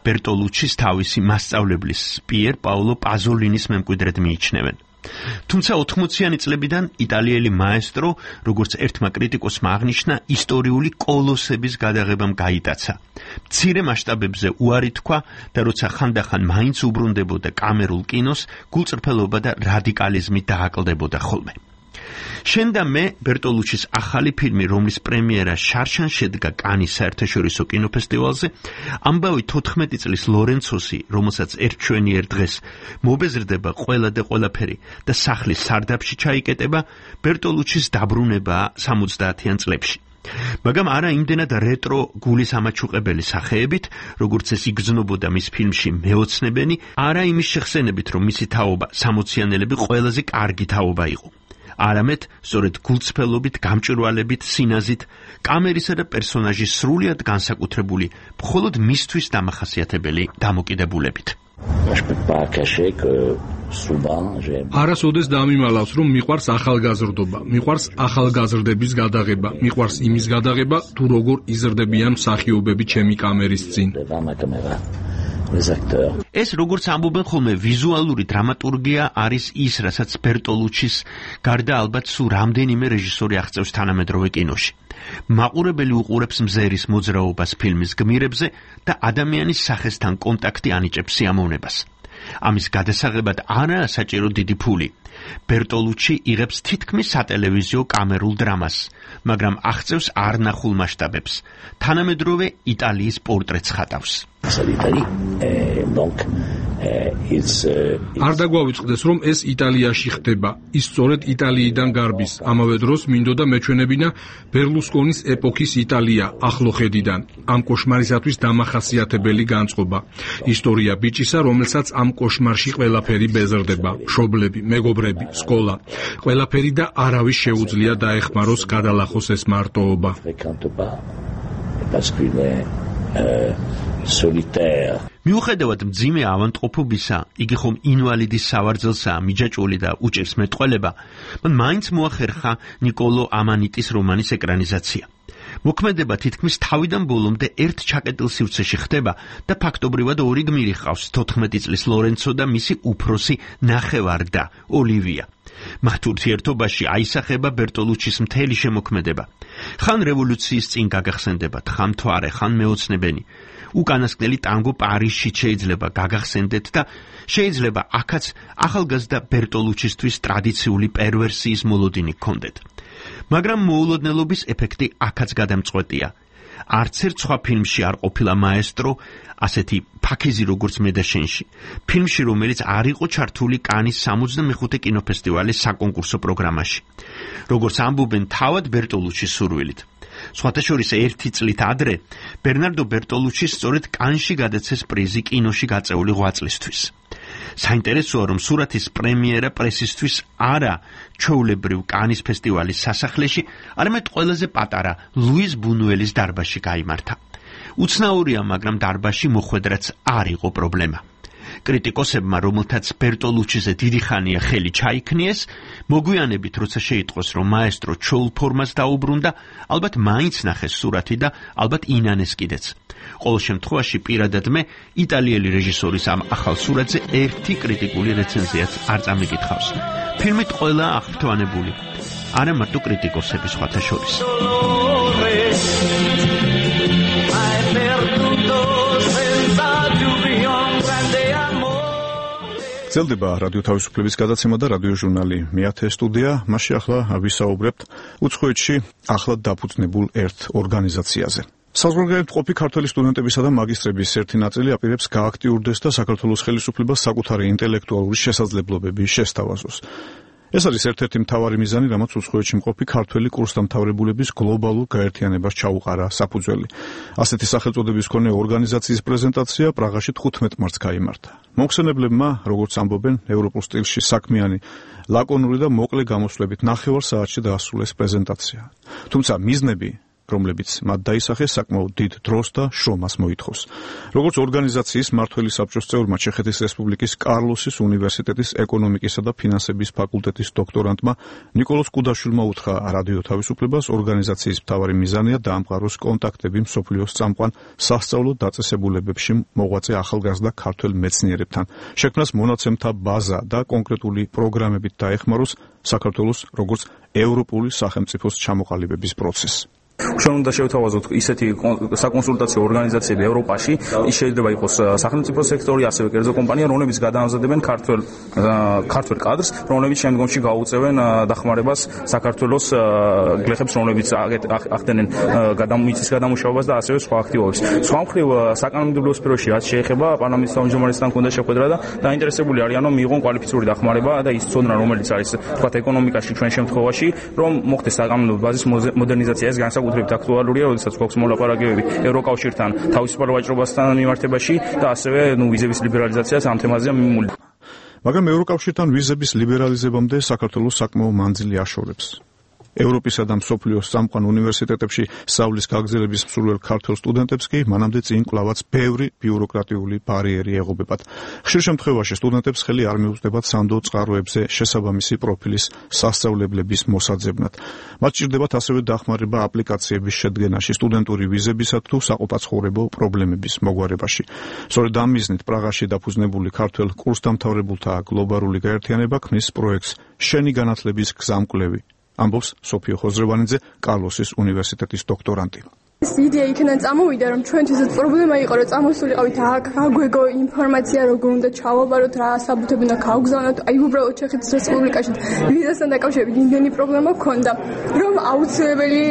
ბერტოლუჩის თავისი მასწავლებლის პიერ პაოლო პაზოლინის მემკვიდრედ მიიჩნევენ. თუმცა 80-იანი წლებიდან იტალიელი მაესტრო, როგორც ერთმა კრიტიკოსმა აღნიშნა, ისტორიული კოლოსების გადაღებამ გაიტაცა. მცირე მასშტაბებზე უარი თქვა და როცა ხანდახან მაინც უბრუნდებოდა კამერულ კინოს, გულწრფელობა და რადიკალიზმი დააკლდებოდა ხოლმე. შენ და მე ბერტოლუჩის ახალი ფილმი, რომლის პრემიერა შარშან შედგა კანის საერთაშორისო კინოფესტივალზე, ამბავი 14 წლის ლორენცოსი, რომელსაც ერთჩვენიერ დღეს მობეზრდება ყველა და ყველაფერი და სახლის სარდაფში ჩაიკეტება, ბერტოლუჩის დაბრუნებაა 70-იან წლებში. მაგრამ არა იმდენად რეტრო გულის ამაჩუყებელი სახეებით, როგორც ეს იგრძნობოდა მის ფილმში მეოცნებენი, არა იმის შეხსენებით, რომ მისი თაობა 60-იანელები ყველაზე კარგი თაობა იყო. არამედ სწორედ გულწრფელობით, გამჭვირვალებით, სინაზით, კამერისა და პერსონაჟის სრულიად განსაკუთრებული, მხოლოდ მისთვის დამახასიათებელი დამოკიდებულებით. არასოდეს დამიმალავს, რომ მიყვარს ახალგაზრდობა, მიყვარს ახალგაზრდების გადაღება, მიყვარს იმის გადაღება, თუ როგორ იზრდებიან მსახიობები ჩემი კამერის წინ. ეს, როგორც ამბობენ ხოლმე, ვიზუალური დრამატურგია არის ის, რასაც ბერტოლუჩის გარდა ალბათ სულ რამდენიმე რეჟისორი აღწევს თანამედროვე კინოში. მაყურებელი უყურებს მზერის მოძრაობას ფილმის გმირებზე და ადამიანის სახესთან კონტაქტი ანიჭებს სიამოვნებას. ამის გადასაღებად არაა საჭირო დიდი ფული. ბერტოლუჩი იღებს თითქმის სატელევიზიო კამერულ დრამას, მაგრამ აღწევს არნახულ მასშტაბებს. თანამედროვე იტალიის პორტრეტს ხატავს. არ დაგვავიწყდეს, რომ ეს იტალიაში ხდება, ის სწორედ იტალიიდან გარბის. ამავე დროს მინდოდა მეჩვენებინა ბერლუსკონის ეპოქის იტალია ახლო ხედიდან. ამ კოშმარისათვის დამახასიათებელი განწყობა. ისტორია ბიჭისა, რომელსაც ამ კოშმარში ყველაფერი ბეზრდება, მშობლები, მეგობრები, სკოლა. ყველაფერი და არავის შეუძლია დაეხმაროს, გადალახოს ეს მარტოობა. მიუხედავად მძიმე ავადმყოფობისა, იგი ხომ ინვალიდის სავარძელსაა, მიჯაჭვული და უჭერს მეტყველება, მან მაინც მოახერხა ნიკოლო ამანიტის რომანის ეკრანიზაცია. მოქმედება თითქმის თავიდან ბოლომდე ერთ ჩაკეტილ სივრცეში ხდება და ფაქტობრივად ორი გმირი ჰყავს, 14 წლის ლორენცო და მისი უფროსი ნახევარ-და ოლივია. მათ ურთიერთობაში აისახება ბერტოლუჩის მთელი შემოქმედება. ხან რევოლუციის წინ გაგახსენდებათ, ხან მთვარე, ხან მეოცნებენი. უკანასკნელი ტანგო პარიზში შეიძლება გაგახსენდეთ და შეიძლება აქაც ახალგაზრდა ბერტოლუჩისთვის ტრადიციული პერვერსიის მოლოდინი გქონდეთ. მაგრამ მოულოდნელობის ეფექტი აქაც გადამწყვეტია. არც ერთ სხვა ფილმში არ ყოფილა მაესტრო ასეთი ფაქიზი როგორც მე და შენში. ფილმში, რომელიც არ იყო ჩართული კანის 65 კინოფესტივალის საკონკურსო პროგრამაში. როგორც ამბობენ, თავად ბერტოლუჩის სურვილით. სხვათა შორის ერთი წლით ადრე ბერნარდო ბერტოლუჩი სწორედ კანში გადაცეს პრიზი კინოში გაწეული ღვაწლისთვის. საინტერესოა, რომ სურათის პრემიერა პრესისთვის არა ჩვეულებრივ კანის ფესტივალის სასახლეში, არამედ ყველაზე პატარა ლუის ბუნუელის დარბაზში გაიმართა. უცნაურია, მაგრამ დარბაზში მოხვედრაც არ იყო პრობლემა. კრიტიკოსებმა, რომელთაც ბერტოლუჩიზე დიდი ხანია ხელი ჩაიქნიეს, მოგვიანებით როცა შეიტყოს, რომ მაესტრო ჩოულ ფორმას დაუბრუნდა, ალბათ მაინც ნახეს სურათი და ალბათ ინანეს კიდეც. ყოველ შემთხვევაში პირადად მე იტალიელი რეჟისორის ამ ახალ სურათზე ერთი კრიტიკული რეცენზიაც არ წამიკითხავს. ფილმით ყველა აღფრთოვანებული, არა მარტო კრიტიკოსები სხვათა შორის. გრძელდება რადიო თავისუფლების გადაცემა და რადიო ჟურნალი მეათე სტუდია. მასში ახლა ვისაუბრებთ უცხოეთში ახლად დაფუძნებულ ერთ ორგანიზაციაზე. საზღვარგარეთ მყოფი ქართველი სტუდენტებისა და მაგისტრების ერთი ნაწილი აპირებს გააქტიურდეს და საქართველოს ხელისუფლებას საკუთარი ინტელექტუალური შესაძლებლობები შესთავაზოს. ეს არის ერთ-ერთი მთავარი მიზანი, რამაც უცხოეთში მყოფი ქართველი კურსდამთავრებულების გლობალურ გაერთიანებას ჩაუყარა საფუძველი. ასეთი სახელწოდების მქონე ორგანიზაციის პრეზენტაცია პრაღაში 15 მარტს გაიმართა. მოხსენებლებმა, როგორც ამბობენ, ევროპულ სტილში საქმიანი, ლაკონური და მოკლე გამოსვლებით 9 საათში დაასრულეს პრეზენტაცია. თუმცა მიზნები, რომლებიც მათ დაისახეს, საკმაოდ დიდ დროს და შრომას მოითხოვს. როგორც ორგანიზაციის მმართველი საბჭოს წევრმა ჩეხეთის რესპუბლიკის კარლოსის უნივერსიტეტის ეკონომიკისა და ფინანსების ფაკულტეტის დოქტორანტმა ნიკოლოზ კუდაშვილმა უთხრა რადიო თავისუფლებას, ორგანიზაციის მთავარი მიზანია დაამყაროს კონტაქტები მსოფლიოს წამყვან სასწავლო დაწესებულებებში მოღვაწე ახალგაზრდა ქართველ მეცნიერებთან, შექმნას მონაცემთა ბაზა და კონკრეტული პროგრამებით დაეხმაროს საქართველოს როგორც ევროპული სახელმწიფოს ჩამოყალიბების პროცესს. ჩვენ უნდა შევთავაზოთ ისეთი საკონსულტაციო ორგანიზაციები ევროპაში, ის შეიძლება იყოს სახელმწიფო სექტორი, ასევე კერძო კომპანია, რომლებიც გადაამზადებენ ქართველ კადრს, რომლებიც შემდგომში გაუწევენ დახმარებას საქართველოს გლეხებს, რომლებიც ახდენენ მიწის გადამუშავებას და ასევე სხვა აქტივობებს. სხვა მხრივ, საკანონმდებლო სფეროში რაც შეეხება პარლამენტის თავმჯდომარესთან მქონდა შეხვედრა და დაინტერესებული არიან, რომ მიიღონ კვალიფიციური დახმარება და ის ცოდნა, რომელიც არის თქვა ეკონომიკაში ჩვენ შემთხვევაში, რომ მოხდეს საკანონმდებლო ბაზის მოდერნიზაცია. ეს განსაკუთრებით აქტუალურია, როდესაც გვაქვს მოლაპარაკებები ევროკავშირთან თავისუფალ ვაჭრობასთან მიმართებაში და ასევე ვიზების ლიბერალიზაციას ამ თემაზე მიმული. მაგრამ ევროკავშირთან ვიზების ლიბერალიზებამდე საქართველოს საკმაო მანძილი აშორებს. ევროპისა და მსოფლიოს წამყვან უნივერსიტეტებში სწავლის გაგრძელების მსურველ ქართველ სტუდენტებს კი მანამდე წინ კვლავაც ბევრი ბიუროკრატიული ბარიერი ეღობებათ. ხშირ შემთხვევაში სტუდენტებს ხელი არ მიუწვდებათ სანდო წყაროებზე შესაბამისი პროფილის სასწავლებლების მოსაძებნად. მათ სჭირდებათ ასევე დახმარება აპლიკაციების შედგენაში, სტუდენტური ვიზებისა თუ საყოფაცხოვრებო პრობლემების მოგვარებაში. სწორედ ამ მიზნით პრაღაში დაფუძნებული ქართველ კურსდამთავრებულთა გლობალური გაერთიანება ქმნის პროექტს შენი განათლების გზამკვლევი. ამბობს სოფიო ხოზრევანიძე, კარლოსის უნივერსიტეტის დოქტორანტი. ეს იდეა იქიდან წამოვიდა, რომ ჩვენთვისაც პრობლემა იყო, რომ წამოსულიყავით აქ, აგვეგო ინფორმაცია, როგორ უნდა ჩავაბაროთ, რა საბუთები უნდა გავგზავნოთ. აი უბრალოდ ჩეხეთის რესპუბლიკაში ვიზასთან დაკავშირებით იმდენი პრობლემა გქონდა, რომ აუცილებელი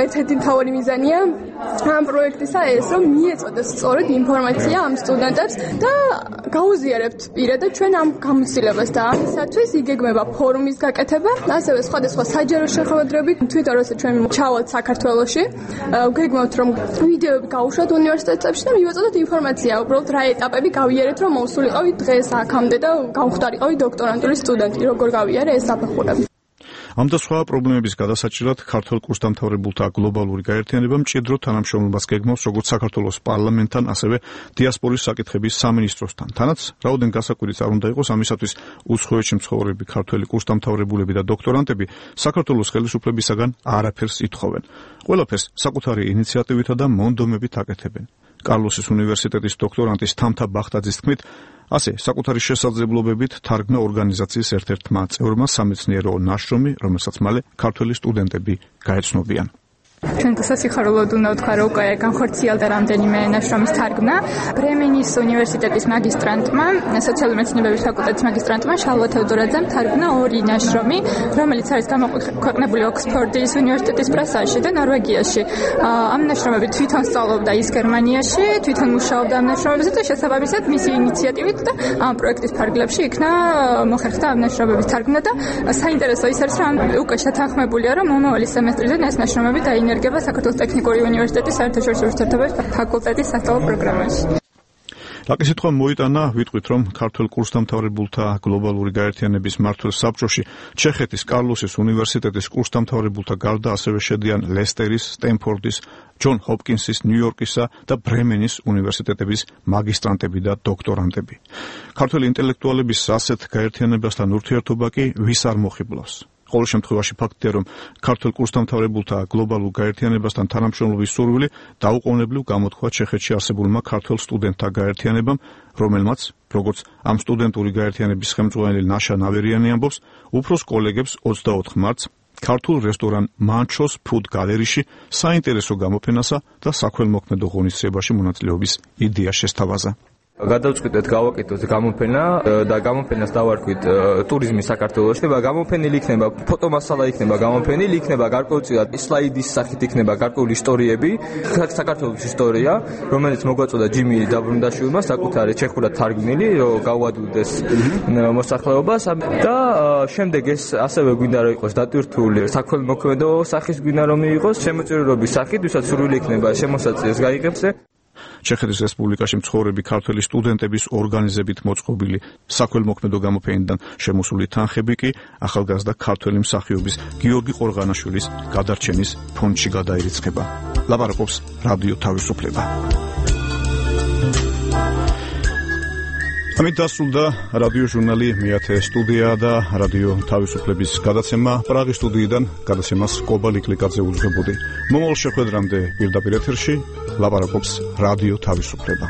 ერთ-ერთი მთავარი მიზანია ამ პროექტისა ეს, რომ მიეწოდოს სწორედ ინფორმაცია ამ სტუდენტებს და გაუზიარებთ პირადად ჩვენ ამ გამოცდილებას და ამისათვის იგეგმება ფორუმის გაკეთება, ასევე სხვადასხვა საჯარო შეხვედრებით. თვითონ როცა ჩვენ ჩავალთ საქართველოში, ვგეგმავთ, რომ ვიდეოები გავუშვათ უნივერსიტეტებში და მივაწოდოთ ინფორმაცია, უბრალოდ რა ეტაპები გავიარეთ, რომ მოვსულიყავით დღეს აქამდე და გავხდარიყავით დოქტორანტული სტუდენტი, როგორ გავიარე ეს საფეხურები. ამ და სხვა პრობლემების გადასაჭირად ქართველ კურსდამთავრებულთა გლობალური გაერთიანება მჭიდრო თანამშრომლობას გეგმავს როგორც საქართველოს პარლამენტთან, ასევე დიასპორის საკითხების სამინისტროსთან. თანაც რაოდენ გასაკვირიც არ უნდა იყოს, ამისათვის უცხოეთში მცხოვრები ქართველი კურსდამთავრებულები და დოქტორანტები საქართველოს ხელისუფლებისაგან არაფერს ითხოვენ. ყველაფერს საკუთარი ინიციატივითა და მონდომებით აკეთებენ. კარლოსის უნივერსიტეტის დოქტორანტის თამთა ბახტაძის თქმით, ასე საკუთარი შესაძლებლობებით თარგმნა ორგანიზაციის ერთ-ერთმა წევრმა სამეცნიერო ნაშრომი, რომელსაც მალე ქართველი სტუდენტები გაეცნობიან. ჩვენ სასიხარულოდ უნდა ვთქვა, რომ უკვე განხორციელდა რამდენიმე ნაშრომის თარგმნა. ბრემენის უნივერსიტეტის მაგისტრანტმა, სოციალური მეცნიერებების ფაკულტეტის მაგისტრანტმა შალვა თევდორაძემ თარგმნა 2 ნაშრომი, რომელიც არის გამოქვეყნებული ოქსფორდის უნივერსიტეტის პრესაში და ნორვეგიაში. ამ ნაშრომები თვითონ სწავლობდა ის გერმანიაში, თვითონ მუშაობდა ამ ნაშრომებზე და შესაბამისად მისი ინიციატივით და ამ პროექტის ფარგლებში იქნა მოხერხდა ამ ნაშრომების თარგმნა და საინტერესო ის არის, რომ უკვე შეთანხმებულია, რომ მომავალი სემესტრიდან ეს ნაშრომები დაინერგება საქართველოს ტექნიკური უნივერსიტეტის საერთაშორისო ურთიერთობების ფაკულტეტის სასწავლო პროგრამაში. ლაკი სიტყვა მოიტანა, ვიტყვით, რომ ქართველ კურსდამთავრებულთა გლობალური გაერთიანების მმართველ საბჭოში ჩეხეთის კარლოსის უნივერსიტეტის კურსდამთავრებულთა გარდა ასევე შედიან ლესტერის, სტენფორდის, ჯონ ჰოპკინსის, ნიუ-იორკისა და ბრემენის უნივერსიტეტების მაგისტრანტები და დოქტორანტები. ქართველი ინტელექტუალების ასეთ გაერთიანებასთან ურთიერთობა კი ვის არ მოხიბლავს. ყოველ შემთხვევაში ფაქტია, რომ ქართველ კურსდამთავრებულთა გლობალურ გაერთიანებასთან თანამშრომლობის სურვილი დაუყოვნებლივ გამოთქვა ჩეხეთში არსებულმა ქართველ სტუდენტთა გაერთიანებამ, რომელმაც, როგორც ამ სტუდენტური გაერთიანების ხელმძღვანელი ნაშა ნავერიანი ამბობს, უფროს კოლეგებს 24 მარტს ქართულ რესტორან მანჩოს ფუდ გალერეში საინტერესო გამოფენასა და საქველმოქმედო ღონისძიებაში მონაწილეობის იდეა შესთავაზა. გადავწყვიტეთ გავაკეთოთ გამოფენა და გამოფენას დავარქვით ტურიზმი საქართველოში. გამოფენილი იქნება ფოტომასალა, იქნება გამოფენილი, იქნება გარკვეულწილად სლაიდის სახით იქნება გარკვეული ისტორიები, საქართველოს ისტორია, რომელიც მოგვაწოდა ჯიმი დაბრუნდაშვილმა საკუთარი ჩეხურად თარგმნილი, რომ გავადვილდეს მოსახლეობას და შემდეგ ეს ასევე გვინდა რომ იყოს დატვირთული საქველმოქმედო სახის გვინდა რომ იყოს შემოწირულობის სახით, ვისაც სურვილი იქნება შემოსაწიეს გაიღებს. ჩეხეთის რესპუბლიკაში მცხოვრები ქართველი სტუდენტების ორგანიზებით მოწყობილი საქველმოქმედო გამოფენიდან შემოსული თანხები კი ახალგაზრდა ქართველი მსახიობის გიორგი ყორღანაშვილის გადარჩენის ფონდში გადაირიცხება. ლაპარაკობს რადიო თავისუფლება. ამით დასრულდა რადიო ჟურნალი მეათე სტუდია და რადიო თავისუფლების გადაცემა. პრაღის სტუდიიდან გადაცემას კობალი კლიკაძე უძღვებოდი. მომავალ შეხვედრამდე პირდაპირ ეთერში ლაპარაკობს რადიო თავისუფლება.